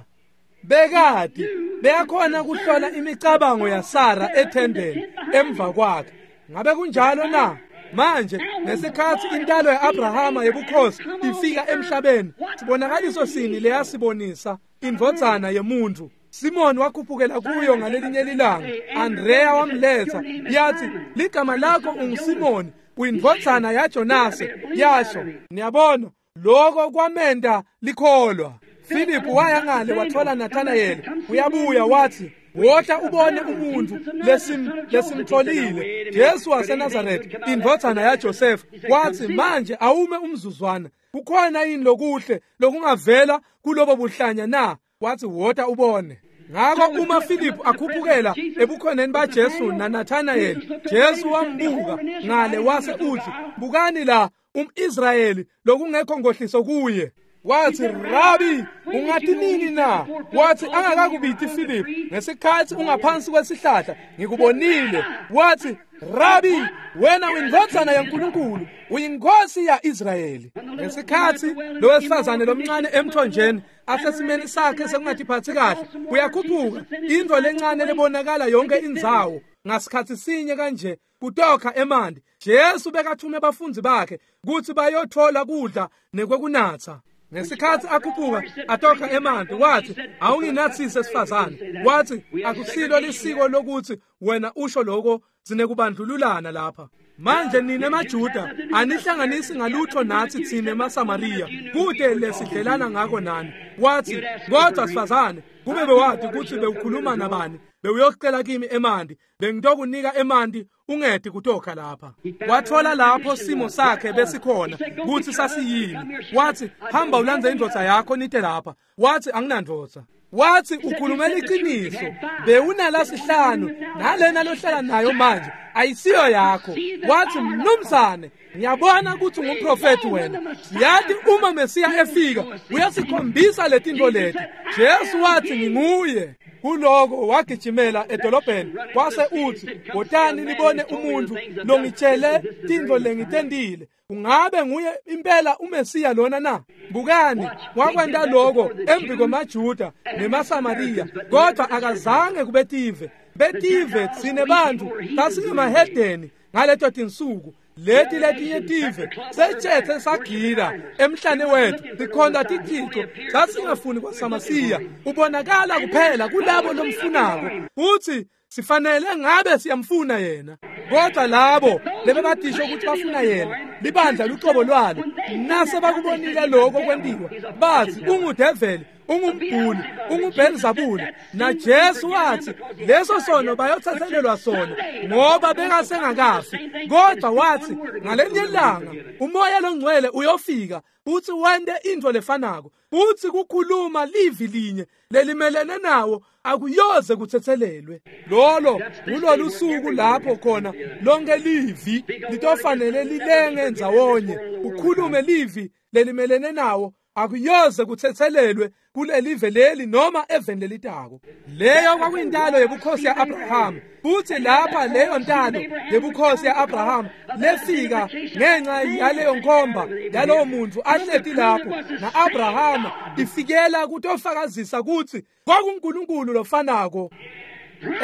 Bekade beyakhona kuhlola imicabango yaSara ethendeni emva kwakhe. Ngabe kunjalo na? Manje ngesikhathi intalo yaAbrahama yebukhosi ifika emhlabeni, sibonakaliso sini leyasibonisa indvodzana yemuntu? Simon wakhuphukela kuyo ngalelinye lilanga, Andrea wamletha, yathi, ligama lakho unguSimoni, uyindvodzana yaJonase. Yasho, niyabona, lokho kwamenda likholwa. Philip waya ngale wathola Nathanael, uyabuya wathi, wota ubone umuntu lesim lesimtholile, Jesu waseNazaretha, indvodzana yaJoseph. Wathi, manje awume umzuzwana, kukhona yini lokuhle lokungavela kulobo buhlanya na? Wathi, wota ubone. Ngakho uma Philip akhuphukela ebukhoneni baJesu naNathanael, Jesu wambuka ngale wase uthi, bukani la umIsrayeli lokungekho ngohliso kuye. Wathi, Rabi, ungathi nini na? Wathi, angakakubiti Philip, ngesikhathi ungaphansi kwesihlahla ngikubonile. Wathi, Rabi, wena uyindvodzana yaNkulunkulu, uyinkosi yaIsrayeli. Ngesikhathi lo wesifazane lomncane emthonjeni asesimeni sakhe sekungatiphathi kahle, uyakhuphuka into lencane lebonakala yonke indzawo ngasikhathi sinye kanje kutokha emanti. Jesu bekathume abafundi bakhe kutsi bayothola kudla nekwekunatsa. Ngesikhathi akhuphuka atokha emanti, wathi, awunginathise sifazane. Wathi, akusilo lisiko lokuthi wena usho lokho, sinekubandlululana lapha. Manje nina emaJuda anihlanganisi ngalutho nathi thina emaSamariya, kude lesidlelana ngako nani. Wathi, kodwa sifazane, kube bewathi kutsi bewukhuluma nabani, bewuyocela kimi emanti, bengitokunika emanti ungedi kutokha lapha. Wathola lapho simo sakhe besikhona kutsi sasiyini. Wathi, hamba ulandze indvodza yakho nite lapha. Wathi, anginandvodza. Wathi, ukhulumela iqiniso, bewunala sihlanu nalena lohlala nayo manje ayisiyo yakho. Wathi, mnumzane, ngiyabona ukuthi ungumprofeti wena. Siyathi uma Mesiya efika uyasikhombisa letinto leti. Jesu wathi, nginguye. Kuloko wagijimela edolobheni wase uthi, wotani nibone umuntu longitshele tintfo lengitentile. Ungabe nguye impela uMesiya lona na? Bukani, wakwenta lokho embi kwemaJuda nemaSamariya, kodwa akazange kubetive. Betive tsine bantfu sasingemahedeni ngaleto tinsuku. Leti letinye tive sethethe sagila emhlane wethu sikhonza tithixo sasingafuni kwaSamasiya ubonakala kuphela kulabo lomfunako futhi sifanele ngabe siyamfuna yena kodwa labo lebebatisho ukuthi bafuna yena libandla lucobo lwalo nase bakubonile lokho kwentiwa bathi ungudeveli ungumbhuli unguBelzebule naJesu wathi leso sono bayothathelelwa sona ngoba bengasengakafi kodwa wathi ngalenye ilanga umoya longcwele uyofika futhi wente into lefanako futhi kukhuluma livi linye lelimelene nawo akuyoze kuthethelelwe lolo ngulolu suku lapho khona lonke livi litofanele lilenge ndzawonye ukhulume livi lelimelene nawo akuyoze kuthethelelwe kulelive leli noma eveni lelitako. Leyo kwakuyintalo yebukhosi ya-Abrahama futhi lapha leyo ntalo yebukhosi ya-Abrahama lefika ngenxa yaleyo nkomba yalowo muntu ahleti lapho na-Abrahama ifikela kutofakazisa kutsi kwakuNkulunkulu lofanako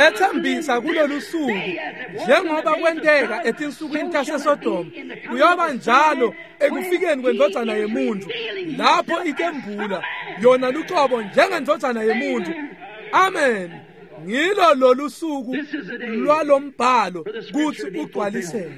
ethembisa kulolu suku njengoba kwenteka etinsukwini taseSodoma kuyoba njalo ekufikeni kwendvodzana yemuntu lapho ikembula yona lucobo njengendvodzana yemuntu. Amen. Ngilo lolu suku lwalombhalo kutsi ugcwaliseke.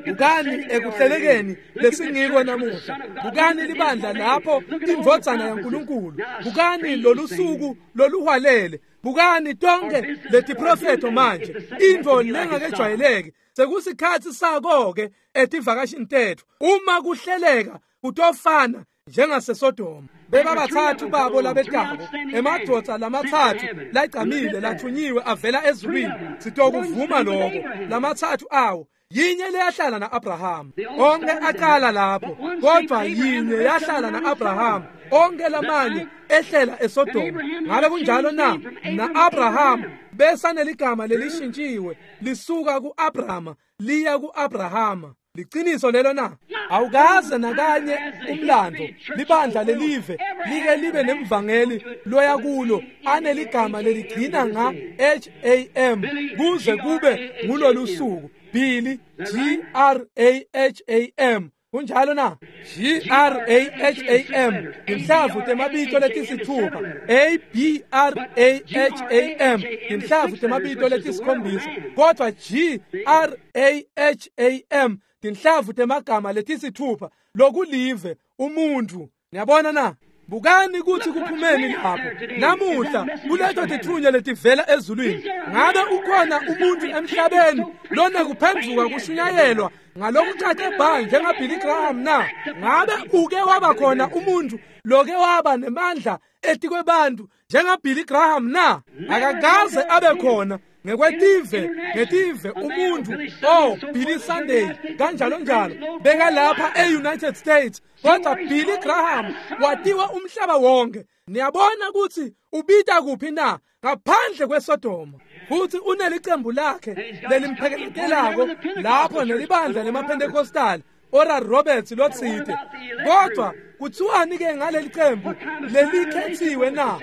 Bukani ekuhlelekeni lesingiko namuhla, bukani libandla lapho indvodzana yaNkulunkulu, bukani lolu suku loluhwalele, bukani tonke letiprofeto manje intfo lengakejwayeleki. Sekusikhatsi sako-ke etivakashini tetfu uma kuhleleka kutofana njengaseSodoma. Bebabathathu babo labetako emadvodza lamatsatfu lagcamile lathunyiwe avela ezulwini sitokuvuma lokho lamatsatfu awo yinye leyahlala na-Abrahama onke aqala lapho kodwa yinye yahlala na-Abrahama onke lamanye ehlela eSodoma. Ngabe kunjalo na? Na-Abrahama besaneligama lelishintshiwe lisuka ku-Abrahama liya ku-Abrahama. Liciniso lelo na? Awukaze nakanye umlando libandla lelive like libe nemvangeli loya kulo aneligama leligcina nga H A M kuze kube ngulolu suku Billy G R A H A M. Kunjalo na? G R A H A M inhlavu temabito letisithupha A B R A H A M inhlavu temabito letisikhombisa kodwa G R A H A M tinhlavu temagama letisithupha lokulive umuntu. Niyabona na? Bukani kutsi kuphumeni lapho namuhla kuleto tithunywa letivela ezulwini. Ngabe ukhona umuntu emhlabeni lona kuphenduka kushunyayelwa ngalokucace bha njengaBilly Graham na? Ngabe uke waba khona umuntu loke waba nemandla etikwebantu njengaBilly Graham na? Akakaze abe khona ngekwetive ngetive umuntu oh Billy Sunday kanjalo njalo bekalapha e-United States kodwa Billy Graham watiwa umhlaba wonke. Niyabona kutsi ubita kuphi na? Ngaphandle kweSodoma. Futhi unelicembu lakhe lelimpheketelako lapho nelibandla lemaPentecostal Oral Roberts lotsite. Kodwa kuthiwani ke ngaleli cembu lelikhethiwe na?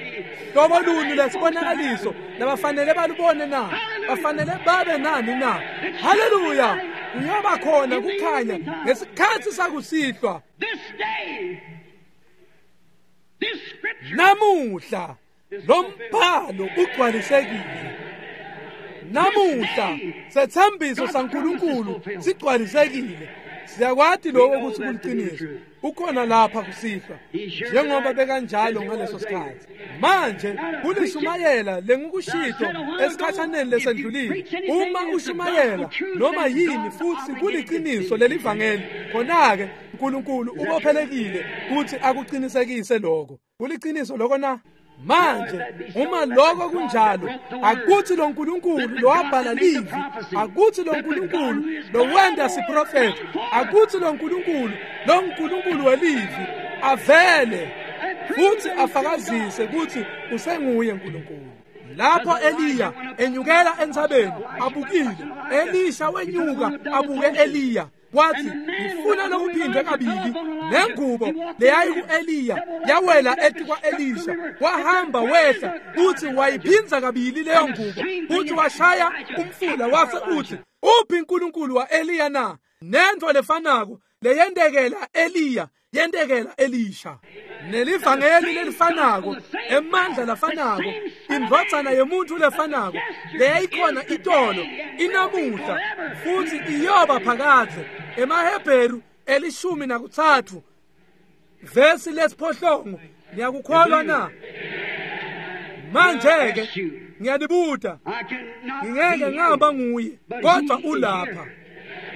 Hlobo luni lesibonakaliso labafanele balubone na? Bafanele babe nani na? Haleluya! Kuyoba khona kukhanya ngesikhatsi sakusihlwa. Namuhla lo mbhalo ugcwalisekile. Namuhla sethembiso saNkulunkulu sigcwalisekile. Siyakwati lokho ukuthi kuliciniso. Ukhona lapha kusihlwa njengoba bekanjalo ngaleso sikhathi. Manje kulishumayela lengikushito esikhathaneni lesendlulile. Uma ushumayela noma yini futhi kuliciniso lelivangeli, khona-ke uNkulunkulu ubophelekile ukuthi akuqinisekise lokho. Kuliciniso lokho na? Manje uma lokho kunjalo, akuthi lo nkulunkulu lowabhala livi, akuthi lo nkulunkulu lowenda siprofethi, akuthi lo nkulunkulu lo nkulunkulu welivi avele futhi afakazise ukuthi usenguye uNkulunkulu. Lapho Eliya enyukela entsabeni abukile, Elisha wenyuka abuke Eliya wathi ngifuna lokuphindwe kabili. Nengubo leyayi ku-Eliya yawela etikwa-Elisha, wahamba wehla uthi wayiphinza kabili leyo ngubo, uthi washaya umfula wase uthi uphi uNkulunkulu wa-Eliya na? Nento lefanako leyentekela Eliya yentekela Elisha. Nelivangeli lelifanako, emandla lafanako, indvodzana yemuntu lefanako leyayikhona itolo inamuhla futhi iyoba phakadze. EmaHebheru elishumi nakutsatfu vesi lesiphohlongo. Niyakukholwa na? Manje ke ngiyanibuta, ngingeke ngaba nguye, kodwa ulapha.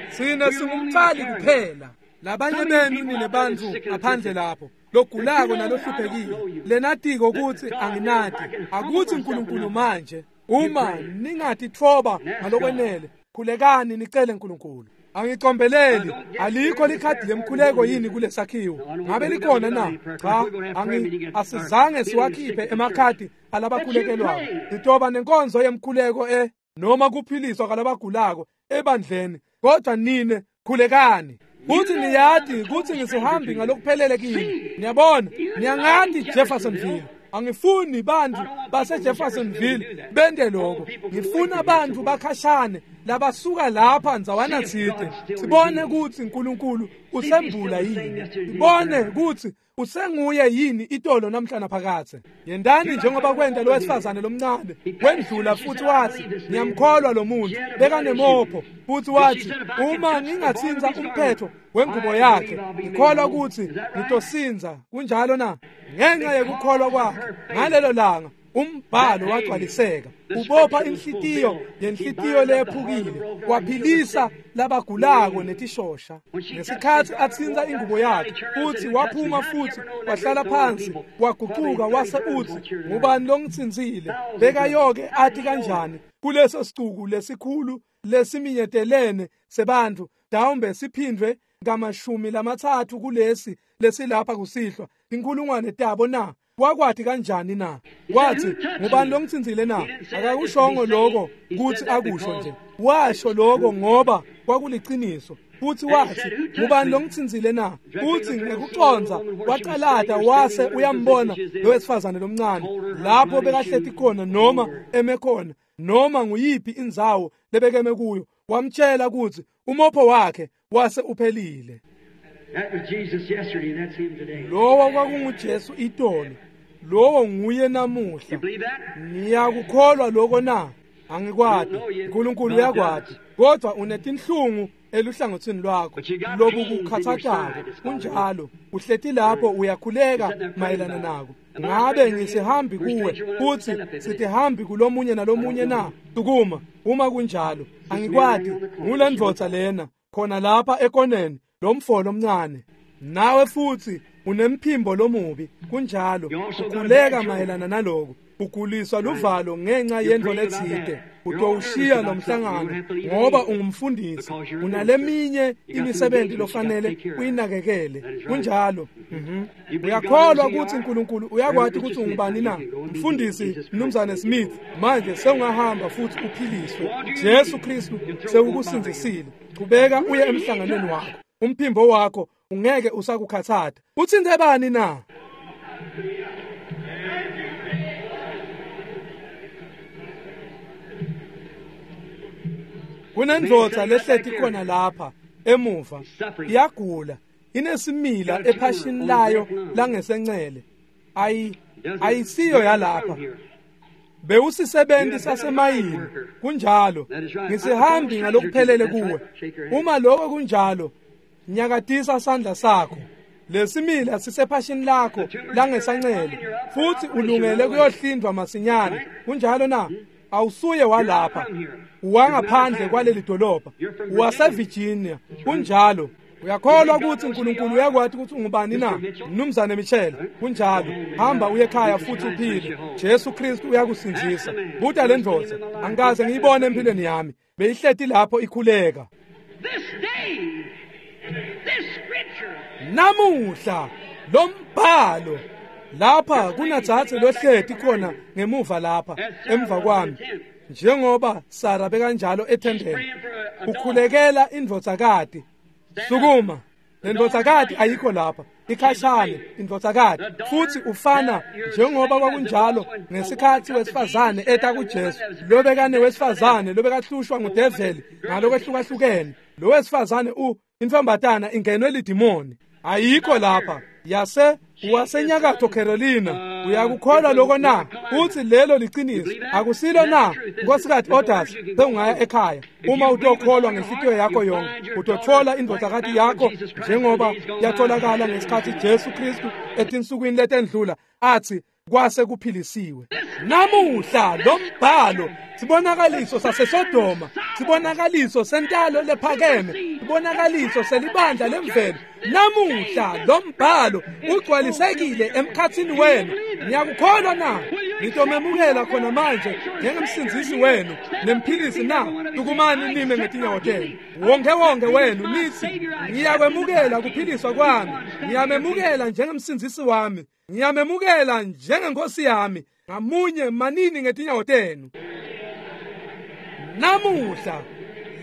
Sine singumcali kuphela. Labanye benu nine bantfu ngaphandle lapho logulako nalohluphekile lenatiko kutsi anginati. Akuthi uNkulunkulu manje uma ningatitfoba ngalokwenele, khulekani nicele uNkulunkulu. Angicombeleli, alikho likhadi lemkhuleko yini kulesakhiwo? Ngabe likhona na? Cha, angi asizange siwakhiphe emakhadi alabakhulekelwako. Sitoba nenkonzo yemkhuleko e noma kuphiliswa kwalabagulako ebandleni, kodwa nine khulekani. Kuthi niyati kutsi ngisihambi ngalokuphelele kini. Niyabona, niyangati Jeffersonville. Angifuni bantfu base Jeffersonville bente lokho. Ngifuna bantfu bakhashane labasuka lapha ndzawana tsite. Sibone kutsi uNkulunkulu usembula yini. Sibone kutsi usenguye yini itolo namhla naphakadze. Yentani njengoba kwenta lo wesifazane lomncane. Wendlula futhi wathi, ngiyamkholwa lo muntu. Bekanemopho futhi wathi, uma ngingatsintsa umphetho wengubo yakhe, ngikholwa kutsi ngitosinza. Kunjalo na? Ngenxa yekukholwa kwakhe ngalelo langa umbhalo wagcwaliseka. Ubopha inhlitiyo yenhlitiyo lephukile, waphilisa labagulako netishosha. Ngesikhatsi atsintsa ingubo yakhe, futhi waphuma futhi wahlala phansi, wagucuka wase utsi, ngubani longitsintsile? Bekayoke athi kanjani kuleso sicuku lesikhulu lesiminyetelene sebantfu, mhlawumbe siphindwe ngamashumi lamatsatfu kulesi lesilapha kusihlwa, inkhulungwane tabo na? Wakwati kanjani na? Wathi, ngubani longitsintsile na? Akakushongo lokho kutsi akusho nje. Washo lokho ngoba kwakuliciniso. Futhi wathi, ngubani longitsintsile na? Futhi ngekucondza wacalata wase uyambona lo wesifazane lomncane lapho bekahleti khona noma eme khona noma nguyiphi indzawo lebekeme kuyo. Wamtshela kutsi umopho wakhe wase uphelile. That was Jesus yesterday, and that's him today. Lowo kwakunguJesu itolo, lowo nguye namuhla. You believe that? Niyakukholwa lokho na? Angikwati, uNkulunkulu uyakwati, kodwa unetinhlungu eluhlangothini lwakho lobukukhathazako. Kunjalo, uhleti lapho uyakhuleka mayelana nako. Ngabe ngisihambi kuwe futhi sitihambi kulomunye nalomunye na? Sukuma. Uma kunjalo, angikwati. Ngulendvodza lena khona lapha ekoneni, lomfo lomncane. Nawe futhi unemphimbo lomubi. Kunjalo, ukhuleka mayelana naloko. Uguliswa luvalo ngenxa yento letsite. Utowushiya lo mhlangano ngoba ungumfundisi, unaleminye imisebenzi lofanele uyinakekele. Kunjalo. Mhm. Uyakholwa ukuthi uNkulunkulu uyakwati ukuthi ungubani na? Mfundisi Mnumzane Smith, manje sewungahamba futhi uphiliswe. Jesu Kristu sewukusindzisile. Chubeka uye emhlanganweni wakho. Umphimbo wakho ungeke usakukhathata. Utsintse bani na? Kunendvodza lehleti khona lapha emuva, iyagula, inesimila ephashini layo langesencele. Ayi ayisiyo yalapha. Bewusisebenzi sasemayini. Kunjalo, ngisihambi ngalokuphelele kuwe. Uma lokho kunjalo, nyakatisa sandla sakho. Lesimila sisephashini lakho langesancele futhi ulungele kuyohlindwa masinyane. Kunjalo na? Awusuye walapha, uwangaphandle kwaleli dolobha, uwaseVirginia. Kunjalo. Uyakholwa ukuthi uNkulunkulu uyakwati ukuthi ungubani na? Mnumzane Michel, kunjalo. Hamba uye ekhaya futhi uphile. Jesu Kristu uyakusindzisa. Buta le ndvodza, angikaze ngiyibone empilweni yami. Beyihleti lapho ikhuleka. This day, this scripture, Namuhla lombhalo lapha kunadzadze lohleti khona ngemuva lapha emva kwami, njengoba Sara bekanjalo ethendeni, ukhulekela indvodzakati. Sukuma, lendvodzakati ayikho lapha. Ikhashane indvodzakati futhi ufana njengoba kwakunjalo ngesikhathi wesifazane eta kuJesu lobekane wesifazane lobekahlushwa ngudeveli ngalokwehlukahlukahlukene lo wesifazane u intombatana ingenwe lidimoni ayikho lapha yase wasenyakatho Carolina uyakukholwa lokho na uthi lelo liqiniso akusilo na nkosikazi Odas sewungaya ekhaya uma utokholwa ngenhliziyo yakho yonke utothola indodakati yakho njengoba yatholakala ngesikhathi Jesu Kristu etinsukwini letendlula athi kwase kuphilisiwe. Namuhla lo mbhalo sibonakaliso saseSodoma, sibonakaliso sentalo lephakeme, sibonakaliso selibandla lemvelo. Namuhla lo mbhalo ugcwalisekile emkhathini wenu. Niyakukholwa na? Ngitomemukela khona manje njengemsindzisi wenu nemphilisi na? Tukumani nime ngetinyawo tenu wonke wonke wenu nithi ngiyakwemukela kuphiliswa kwami, ngiyamemukela njengemsindzisi wami, ngiyamemukela njengenkosi yami. Ngamunye manini ngetinyawo tenu. Namuhla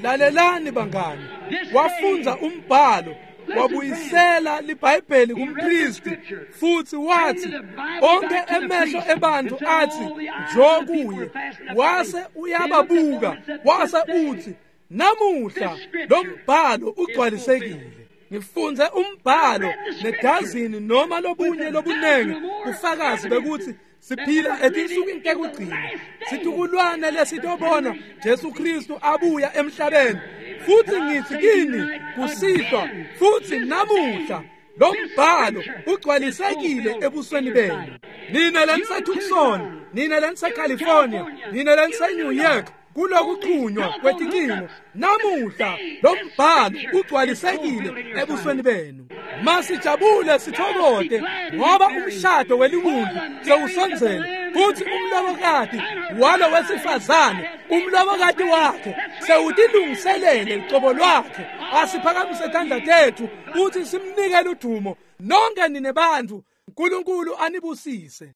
lalelani bangani, wafundza umbhalo wabuyisela liBhayibheli kumpristi futhi wathi onke emehlo ebantu athi njo kuye, wase uyababuka wase uthi namuhla lo mbhalo ugcwalisekile. Ngifunze umbhalo nedazini noma lobunye lobunengi ufakazi bekuthi siphila etinsukwini tekugcina, situkulwane lesitobona Jesu Kristu abuya emhlabeni. Futhi ngithi kini kusihlwa futhi namuhla lo mbhalo ugcwalisekile ebusweni benu. Nina leniseTucson, nina leniseCalifornia, nina leniseNew York, kulokuxhunywa kwetincingo, namuhla lo mbhalo ugcwalisekile ebusweni benu. Masijabule sithokote ngoba umshado weliwundlu sewusondzele futhi umlobokati walo wesifazane umlobokati wakhe sewutilungiselele lucobo lwakhe. Asiphakamise tandla tethu futhi simnikele udumo. Nonke nine bantfu, uNkulunkulu anibusise.